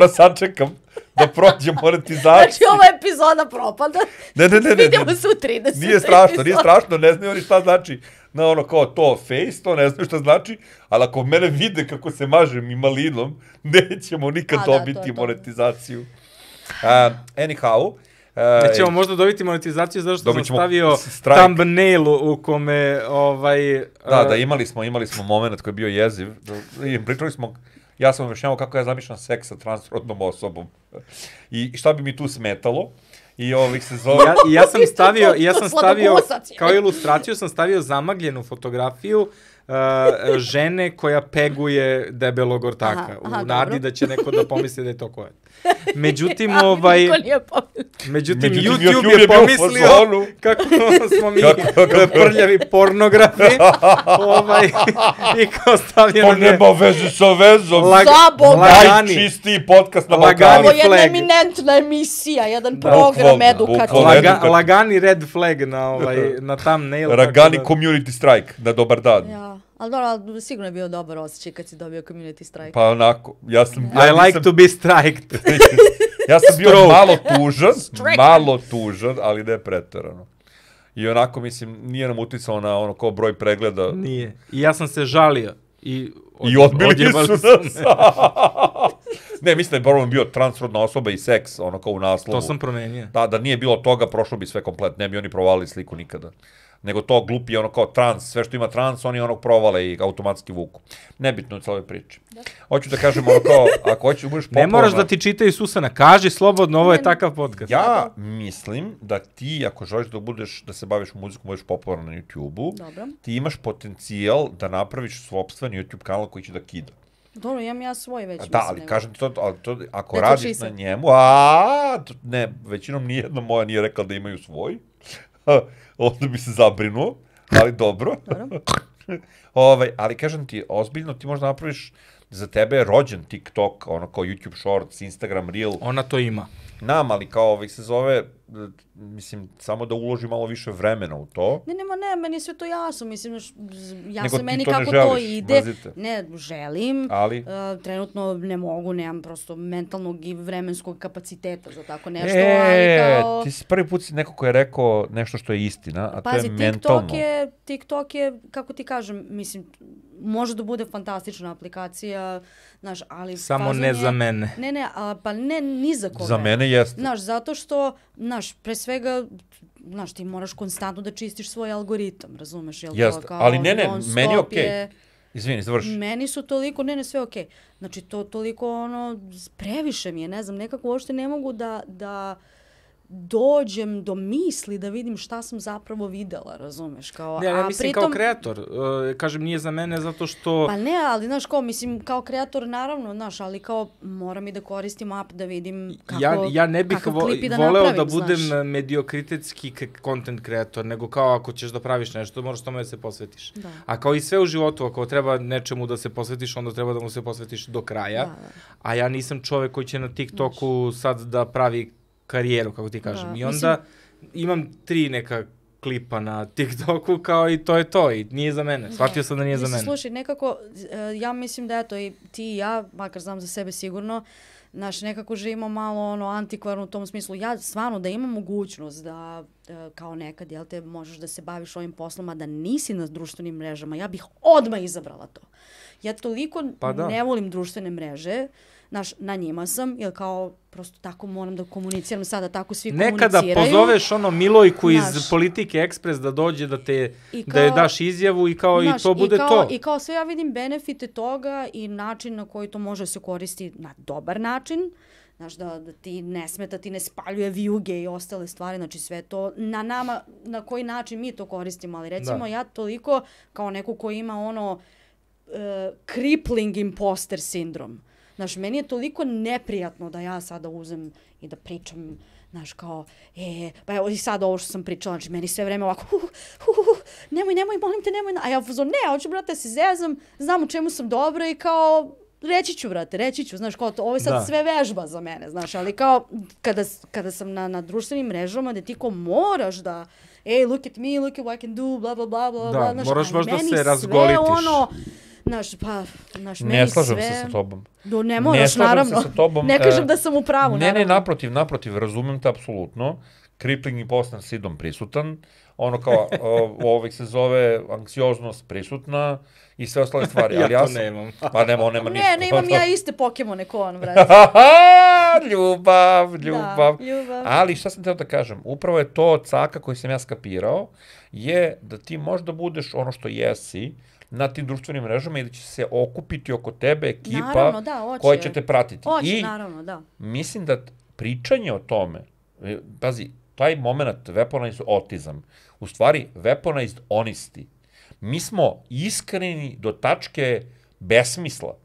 sačekam da prođe monetizaciju. Znači, ova epizoda propada. Ne. Vidimo se u 30. Nije strašno, ne znaju oni šta znači. Na ono kao to face, to ne znaju šta znači, ali ako mene vide kako se mažem i malinom, nećemo nikad dobiti monetizaciju. Anyhow, nećemo možda dobiti monetizaciju zato što sam stavio thumbnail u kome Da, imali smo moment koji je bio jeziv. Pričali smo, ja sam objašnjavao kako ja zamišljam seks sa transrodnom osobom. I šta bi mi tu smetalo? I ovih se zove... Ja sam stavio, kao ilustraciju sam stavio zamagljenu fotografiju žene koja peguje debelog ortaka. U nadi da će neko da pomisli da je to Kojot. Međutim, YouTube je pomislio kako smo mi prljavi pornografi i kao stavljeno... To nema veze sa vezom. Najčistiji podcast na Balkanu. Ovo je jedna eminentna emisija, jedan program edukativni. Lagani red flag na thumbnail. Ragani community strike, na dobar dan. Ja. Ali dobro, sigurno je bio dobar osjećaj kad si dobio community strike. Pa onako, I like to be striked. Ja sam bio malo tužan, ali ne preterano. I onako, mislim, nije nam uticalo na ono kao broj pregleda. Nije. I ja sam se žalio. I odbili su nas. Ne, mislim da je problem bio transrodna osoba i seks, ono kao u naslovu. To sam promenio. Da nije bilo toga, prošlo bi sve komplet. Ne bi oni provalili sliku nikada. Nego to glupi ono kao trans, sve što ima trans, oni onog provale i automatski vuku. Nebitno u celoj priči. Hoću da kažem ono kao, ako hoćeš budeš popularna... Ne moraš da ti čitaju Susana, kaži slobodno, ovo je takav podcast. Ja mislim da ti, ako želiš da se baviš muzikom, budeš popularna na YouTube-u, ti imaš potencijal da napraviš sopstven YouTube kanal koji će da kida. Dobro, imam ja svoj već. Da, ali kažem ti to, ako radiš na njemu, ne, većinom nijedna moja nije rekla da imaju svoj. Onda bi se zabrinuo, ali dobro. Ali kažem ti, ozbiljno ti možda napraviš, za tebe je rođen TikTok, ono kao YouTube Shorts, Instagram Reel. Ona to ima. Ali kao se zove, mislim, samo da uloži malo više vremena u to. Ne, meni je sve to jasno, mislim, jasno meni kako to ide. Ne, želim, trenutno ne mogu, nemam prosto mentalnog i vremenskog kapaciteta za tako nešto, ali kao... Ti si prvi put neko ko je rekao nešto što je istina, a to je mentalno. TikTok je, kako ti kažem, mislim, može da bude fantastična aplikacija, znaš, ali... Samo ne za mene. Pa ne ni za koga. Za mene jeste. Znaš, zato što, pre svega, ti moraš konstantno da čistiš svoj algoritam, razumeš? Jeste, ali meni je okej. Izvini, završi. Meni su toliko, sve okej. Znači, to toliko, previše mi je, ne znam, nekako uopšte ne mogu da dođem do misli da vidim šta sam zapravo videla, razumeš? Ja mislim kao kreator, kažem nije za mene zato što... Pa ne, ali znaš kao kreator naravno, znaš, ali kao moram i da koristim app da vidim ja ne bih voleo da budem mediokritetski content kreator, nego kao ako ćeš da praviš nešto, moraš tome da se posvetiš. A kao i sve u životu, ako treba nečemu da se posvetiš, onda treba da mu se posvetiš do kraja. A ja nisam čovek koji će na TikToku sad da pravi karijeru, kako ti kažem. I onda imam 3 neka klipa na TikToku, kao i to je to, i nije za mene. Shvatio sam da nije za mene. Slušaj, nekako, ja mislim da eto i ti i ja, makar znam za sebe sigurno, nekako živimo malo antikvarno u tom smislu. Ja stvarno da imam mogućnost da kao nekad, jel te, možeš da se baviš ovim poslom, a da nisi na društvenim mrežama, ja bih odmah izabrala to. Ja toliko ne volim društvene mreže, na njima sam, jer kao prosto tako moram da komuniciram sada, tako svi komuniciraju. Nekada pozoveš Milojku iz Politike Ekspres da dođe da je daš izjavu i kao i to bude to. I kao sve ja vidim benefite toga i način na koji to može se koristi na dobar način, znaš, da ti ne smeta, ti ne spaljuje vijuge i ostale stvari, znači sve to na nama, na koji način mi to koristimo, ali recimo ja toliko kao neko ko ima crippling imposter sindrom. Znaš, meni je toliko neprijatno da ja sada uzem i da pričam, znaš, kao, pa evo i sad ovo što sam pričala, znači meni sve vreme ovako, nemoj, molim te, nemoj, a ja ne, hoću, brate, se zezam, znam u čemu sam dobra i kao, reći ću, znaš, kao to, ovo je sad sve vežba za mene, znaš, ali kao, kada sam na društvenim mrežama, da ti ko moraš da, look at me, look at what I can do, bla, bla, bla, bla, da, znaš, moraš baš da se sve razgolitiš. ono, znaš, meni Ne slažem sve... se sa tobom. Ne moraš, naravno. Ne kažem da sam u pravu, naravno. Ne, naprotiv, razumem te apsolutno. Crippling imposter sidom prisutan, ono kao, se zove anksioznost prisutna i sve ostale stvari. Ja to nemam. Pa nema ništa. Ne, imam ja iste Pokemone ko on, vrati. Ljubav. Da, ljubav. Ali šta sam teo da kažem, upravo je to caka koji sam ja skapirao, je da ti možda budeš ono što jesi, na tim društvenim mrežama i da će se okupiti oko tebe ekipa naravno, da, koja će te pratiti. Hoće, naravno, da. Mislim da pričanje o tome, pazi, taj moment weaponized autism, u stvari weaponized honesty. Mi smo iskreni do tačke besmisla.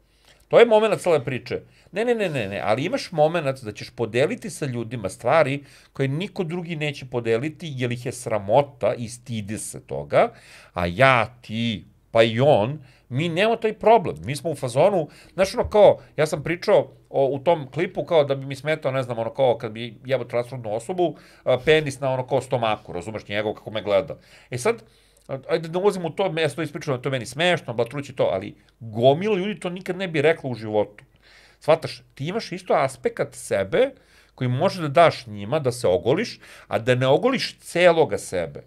To je moment cele priče. Ne, ali imaš moment da ćeš podeliti sa ljudima stvari koje niko drugi neće podeliti, jer ih je sramota i stide se toga, a ja, ti, pa i on, mi nemamo taj problem. Mi smo u fazonu, znaš ono kao, ja sam pričao u tom klipu kao da bi mi smetao, ne znam, ono kao kad bi jebao transrodnu osobu, penis na ono kao stomaku, razumeš njegov kako me gleda. Sad, ajde da ulazim u to, ja sam to ispričao da to meni smešno, blatrući to, ali gomila ljudi to nikad ne bi rekla u životu. Shvataš, ti imaš isto aspekt sebe koji može da daš njima, da se ogoliš, a da ne ogoliš celoga sebe.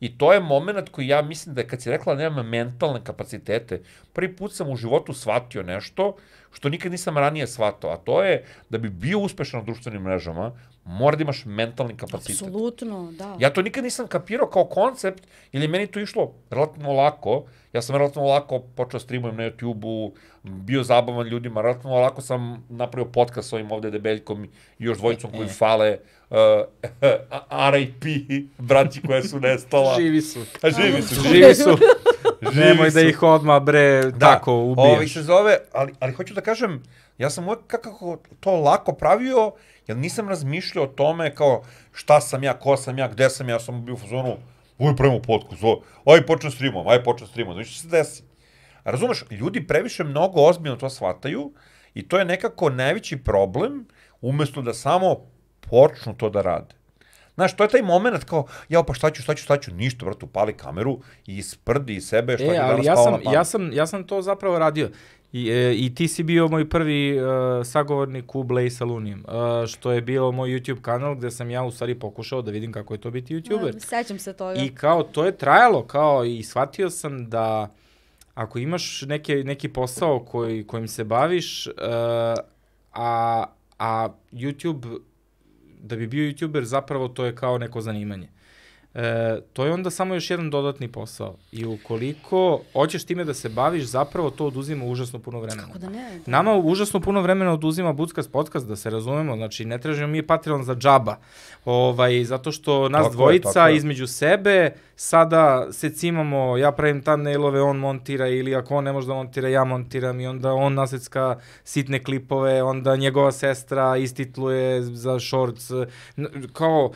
I to je moment koji ja mislim da kad si rekla da nemam mentalne kapacitete, prvi put sam u životu shvatio nešto što nikad nisam ranije shvatao, a to je da bi bio uspešan na društvenim mrežama, mora da imaš mentalni kapacitet. Apsolutno, da. Ja to nikad nisam kapirao kao koncept, ili meni to išlo relativno lako. Ja sam relativno lako počeo streamujem na YouTube-u, bio zabavan ljudima, relativno lako sam napravio podcast s ovim ovde debeljkom i još dvojicom koji fale, R.I.P. braći koja su nestala. Živi su. Živi su. Nemoj da ih odmah, bre, tako ubijaš. Ovi se zove, ali hoću da kažem, ja sam uvek kako to lako pravio, jer nisam razmišljao o tome kao šta sam ja, ko sam ja, gde sam ja, sam bio u fazonu, pravimo podcast, aj počnem streamom, znači što se desi. Razumeš, ljudi previše mnogo ozbiljno to shvataju i to je nekako najveći problem, umesto da samo počnu to da rade. Znaš, to je taj moment kao, pa šta ću, ništa, brate, upali kameru i isprdi iz sebe šta je danas pao na pamet. Ja sam to zapravo radio. I ti si bio moj prvi sagovornik u Blaze Salunijem, što je bio moj YouTube kanal gde sam ja u stvari pokušao da vidim kako je to biti YouTuber. Sećam se toga. I kao, to je trajalo, kao, i shvatio sam da ako imaš neki posao kojim se baviš, a YouTube, da bi bio YouTuber, zapravo to je kao neko zanimanje. To je onda samo još jedan dodatni posao. I ukoliko hoćeš time da se baviš, zapravo to oduzima užasno puno vremena. Kako da ne? Nama užasno puno vremena oduzima Buckcast podcast, da se razumemo. Znači, ne tražimo mi Patreon za džaba. Zato što nas dvojica između sebe sada se cimamo, ja pravim thumbnailove, on montira, ili ako on ne može da montira, ja montiram, i onda on nasecka sitne klipove, onda njegova sestra istitluje za shorts. Kao,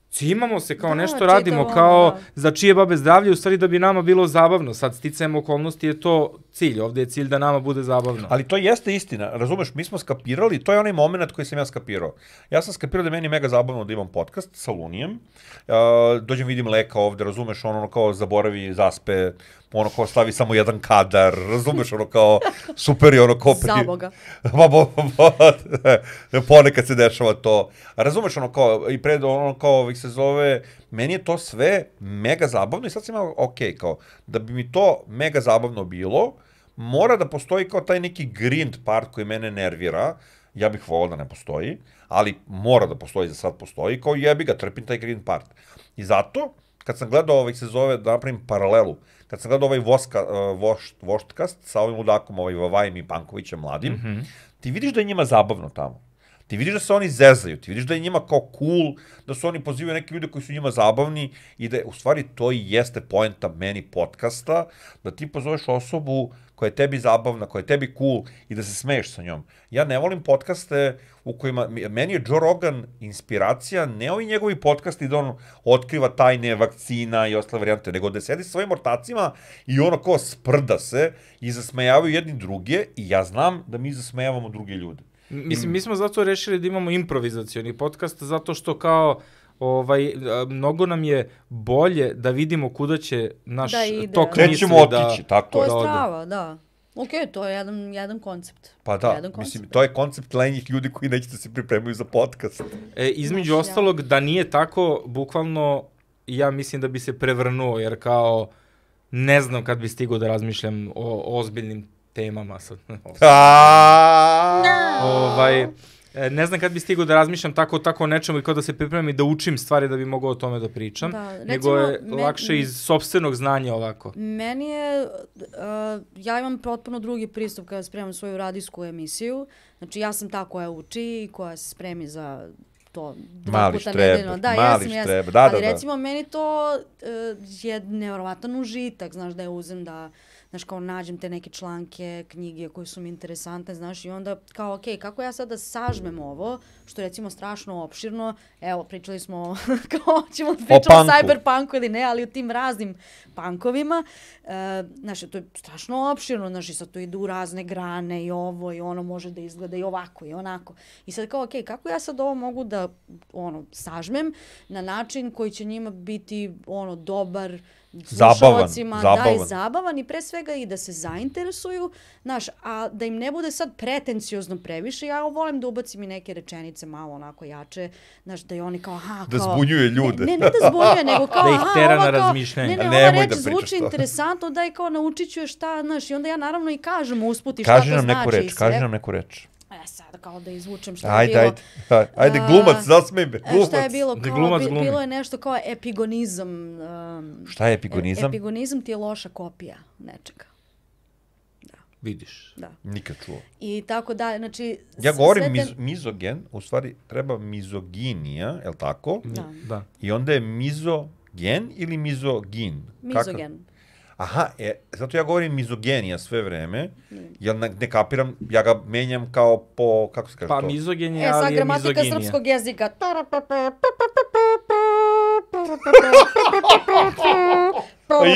cimamo se, kao nešto radimo, kao za čije babe zdravlje, u stvari da bi nama bilo zabavno. Sad, sticajem okolnosti je to cilj, ovde je cilj da nama bude zabavno. Ali to jeste istina, razumeš, mi smo skapirali, to je onaj moment koji sam ja skapirao. Ja sam skapirao da je meni mega zabavno da imam podcast sa Lunijem, dođem vidim Leka ovde, razumeš, ono kao zaboravi, zaspe, ono kao stavi samo jedan kadar, razumeš, ono kao super je ono kao... Zaboga. Ponekad se dešava to. Razumeš, ono kao, i pred ono kao se zove, meni je to sve mega zabavno i sad sam imao, kao, da bi mi to mega zabavno bilo, mora da postoji kao taj neki grind part koji mene nervira, ja bih volao da ne postoji, ali mora da postoji, za sad postoji, kao jebi ga, trpim taj grind part. I zato, kad sam gledao se zove, da napravim paralelu, kad sam gledao voštkast sa ovim ludakom, Vavajem i Pankovićem mladim, ti vidiš da je njima zabavno tamo. Ti vidiš da se oni zezaju, ti vidiš da je njima kao cool, da su oni pozivaju neke ljude koji su njima zabavni i da u stvari to i jeste poenta meni podcasta, da ti pozoveš osobu koja je tebi zabavna, koja je tebi cool i da se smeješ sa njom. Ja ne volim podcaste u kojima, meni je Joe Rogan inspiracija, ne ovi njegovi podcasti da on otkriva tajne vakcina i ostale varijante, nego da sedi sa svojim ortacima i ono kao sprda se i zasmejavaju jedni druge i ja znam da mi zasmejavamo druge ljude. Mislim, mi smo zato rešili da imamo improvizacioni podcast, zato što kao mnogo nam je bolje da vidimo kuda će naš tok Gde misli ćemo otići, tako To je. je strava, da. Ok, to je jedan koncept. Pa da, mislim, to je koncept lenjih ljudi koji neće da se pripremaju za podcast. Između ostalog, da nije tako, bukvalno, ja mislim da bi se prevrnuo, jer kao, ne znam kad bi stigao da razmišljam o ozbiljnim temama. Ne znam kad bi stigao da razmišljam tako o nečemu i kao da se pripremim i da učim stvari da bi mogao o tome da pričam, nego je lakše iz sopstvenog znanja ovako. Meni je, ja imam potpuno drugi pristup kada spremam svoju radijsku emisiju. Znači ja sam ta koja uči i koja se spremi za to 2 puta nedeljno. Da, jesam. Ali recimo meni to je nevjerovatan užitak, znaš, da je uzem da znaš, kao nađem te neke članke, knjige koje su mi interesantne, znaš, i onda kao, okej, kako ja sad da sažmem ovo, što je recimo strašno opširno, evo, pričali smo, kao, ćemo da pričamo o cyberpunku ili ne, ali o tim raznim punkovima, znaš, to je strašno opširno, znaš, i sad to ide u razne grane i ovo i ono može da izgleda i ovako i onako. I sad kao, okej, kako ja sad ovo mogu da, sažmem na način koji će njima biti, dobar, slušalcima, zabavan i pre svega i da se zainteresuju, znaš, a da im ne bude sad pretenciozno previše, ja volim da ubacim i neke rečenice malo onako jače, znaš, da i oni kao, da zbunjuje ljude. Ne da zbunjuje, nego kao, da ih tera na razmišljanje. Ova reč zvuči interesantno, daj kao naučit ću je šta, znaš, i onda ja naravno i kažem usput i šta to znači. Kaži nam neku reč. Sad kao da izvučem šta je bilo. Ajde, glumac, zasmej me, glumac. Šta je bilo? Bilo je nešto kao epigonizam. Šta je epigonizam? Epigonizam ti je loša kopija nečega. Da. Vidiš. Da. Nikad čuo. I tako dalje, znači... Ja govorim mizogen, u stvari treba mizoginija, je li tako? Da. I onda je mizogen ili mizogin? Mizogen. Aha, zato ja govorim mizogenija sve vreme, jer ne kapiram, ja ga menjam kao po, kako se kaže to? Pa mizogenija, ali je sad gramatika mizoginija. srpskog jezika.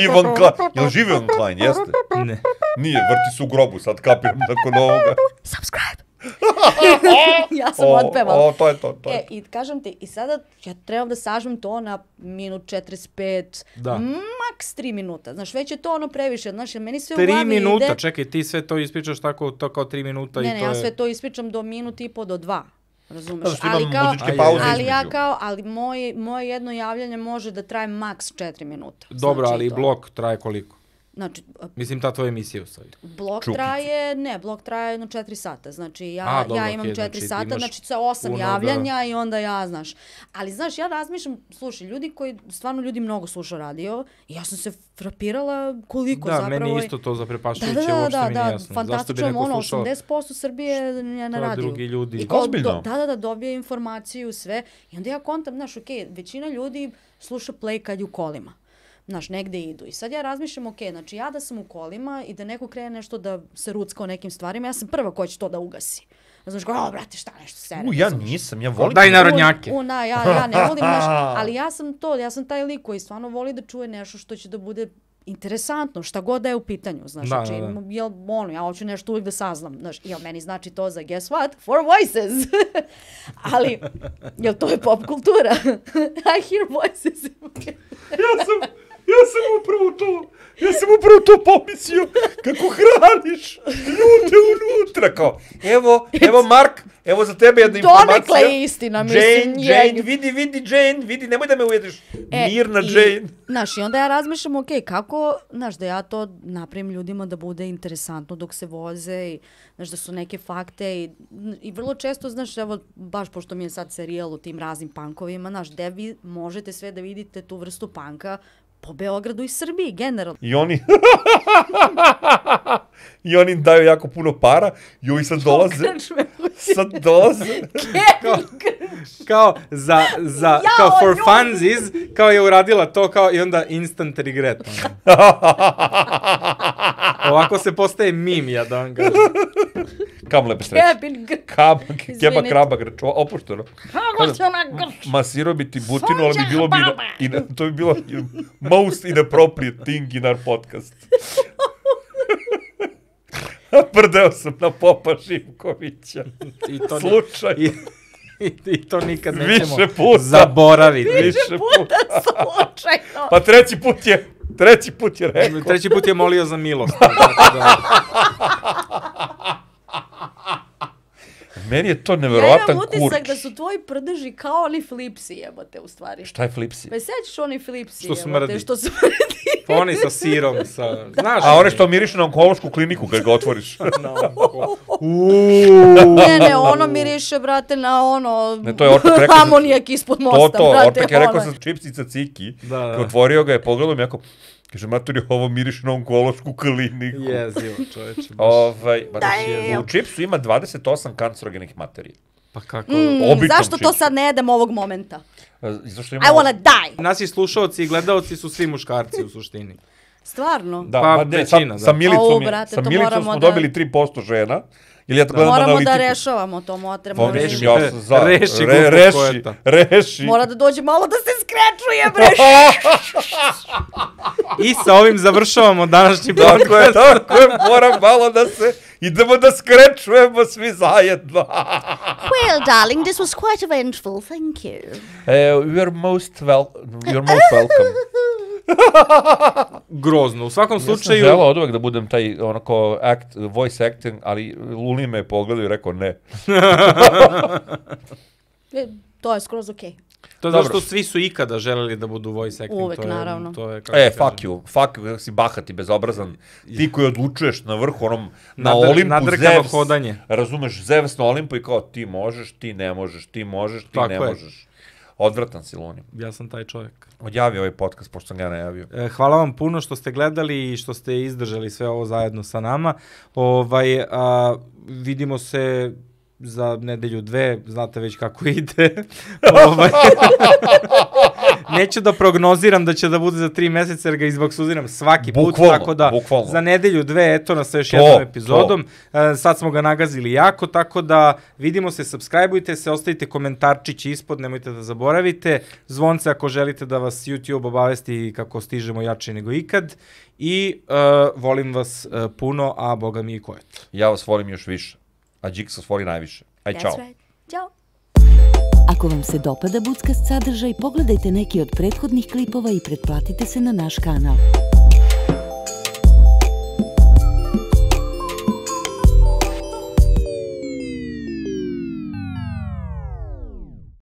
Ivan Klein, jel živi Ivan Klein, jeste? Ne. Nije, vrti se u grobu, sad kapiram nakon ovoga. Subscribe! Ja sam otpevala. To je to. I kažem ti, i sada ja trebam da sažmem to na minut 45, maks 3 minuta. Znaš, već je to previše. Znaš, meni sve u glavi ide... 3 minuta, čekaj, ti sve to ispričaš tako, to kao 3 minuta i to je... Ne, ja sve to ispričam do minut i po do 2. Razumeš? Zato što imam muzičke pauze između. Ali moje jedno javljanje može da traje maks 4 minuta. Dobro, ali blok traje koliko? Znači, mislim, ta tvoja emisija u stvari. Blok traje 4 sata. Znači, ja imam 4 sata, znači sa 8 javljanja i onda ja, znaš. Ali, znaš, ja razmišljam, slušaj, ljudi mnogo slušaju radio i ja sam se frapirala koliko zapravo... Da, meni isto to zaprepašujuće, uopšte mi nije jasno. Fantastično, 80% Srbije je na radiju. Drugi ljudi. Ozbiljno? Da, dobije informaciju, sve. I onda ja kontam, znaš, većina ljudi sluša play kad je u kolima. Znaš, negde idu. I sad ja razmišljam, znači ja da sam u kolima i da neko krene nešto da se rucka o nekim stvarima, ja sam prva koja će to da ugasi. Znaš, brate, šta nešto sere. Ja nisam, ja volim... Daj narodnjake. Ja ne volim, znaš, ali ja sam taj lik koji stvarno voli da čuje nešto što će da bude interesantno, šta god da je u pitanju, znaš, znači, ja hoću nešto uvijek da saznam, znaš, meni znači to za guess what? Four Voices. Ali, to je pop kultura. I hear voices. Ja sam upravo to pomislio, kako hraniš ljude unutra, kao, evo Mark, evo za tebe jedna informacija. Donekle je istina, mislim. Jane, vidi, nemoj da me ujediš, mirna Jane. Znaš, i onda ja razmišljam, kako, znaš, da ja to napravim ljudima da bude interesantno dok se voze i, znaš, da su neke fakte i vrlo često, znaš, evo, baš pošto mi je sad serijal u tim raznim punkovima, znaš, gde vi možete sve da vidite tu vrstu punka po Beogradu i Srbiji, generalno. I oni daju jako puno para i ovi sad dolaze. Kao kao for funsies, kao je uradila to, kao i onda instant regret. Ovako se postaje mim, ja da vam kažem. Kamle bez sreće. Kebin grč. Keba kraba grč, opušteno. Kako se ona grč? Masirao bi ti butinu, ali bi bilo to bi bilo most inappropriate thing in our podcast. Prdeo sam na Popa Živkovića. Slučaj. I to nikad nećemo zaboraviti. Više puta slučajno. Pa treći put je rekao. Treći put je molio za milost. Meni je to neverovatan kurč. Ja imam utisak da su tvoji prdeži kao oni flipsi, jebote, u stvari. Šta je flipsi? Pa sećaš oni flipsi, što smrdi. Što smrdi. Pa oni sa sirom, znaš. A one što mirišu na onkološku kliniku kad ga otvoriš. Ne, ono miriše, brate, na ono... Ne, to je Ortak rekao... Amonijak ispod mosta, brate. Ortak je rekao sa čipsica ciki. Otvorio ga je, pogledao mi jako... Kaže, maturi, ovo miriš na onkološku kliniku. Jezivo, čoveče. U čipsu ima 28 kancerogenih materija. Pa kako? Zašto to sad ne jedem ovog momenta? Zašto I wanna die! Naši slušalci i gledalci su svi muškarci u suštini. Stvarno? Pa većina, da. Sa Milicom smo dobili 3% žena. Moramo da rešavamo to, moramo reši. Mora da dođe malo da se skrečuje, bre. I sa ovim završavamo današnji podcast. Tako je, moram malo da se... Idemo da skrečujemo svi zajedno. Well, darling, this was quite eventful, thank you. You're most welcome. Grozno, u svakom slučaju... Ja sam želao od uvek da budem taj onako voice acting, ali Luli me je pogledao i rekao ne. To je skroz okej. To je zašto svi su ikada želeli da budu voice acting. Uvek, naravno. Fuck you, si bahati, bezobrazan. Ti koji odlučuješ na vrhu, onom, na Olimpu, Zevs. Razumeš, Zevs na Olimpu i kao ti možeš, ti ne možeš, ti možeš, ti ne možeš. Odvratan si, Luni. Ja sam taj čovjek. Odjavi ovaj podcast, pošto sam ga najavio. Hvala vam puno što ste gledali i što ste izdržali sve ovo zajedno sa nama. Vidimo se za nedelju 2, znate već kako ide. Neću da prognoziram da će da bude za 3 meseca, jer ga izboksuziram svaki put, tako da za nedelju 2, eto nas sa još jednom epizodom. Sad smo ga nagazili jako, tako da vidimo se, subscribeujte se, ostavite komentarčić ispod, nemojte da zaboravite. Zvonce ako želite da vas YouTube obavesti kako stižemo jače nego ikad. I volim vas puno, a boga mi i Kojet. Ja vas volim još više. A Džiks vas voli najviše. Aj, čao. Ćao. Ako vam se dopada Buckast sadržaj, pogledajte neki od prethodnih klipova i pretplatite se na naš kanal.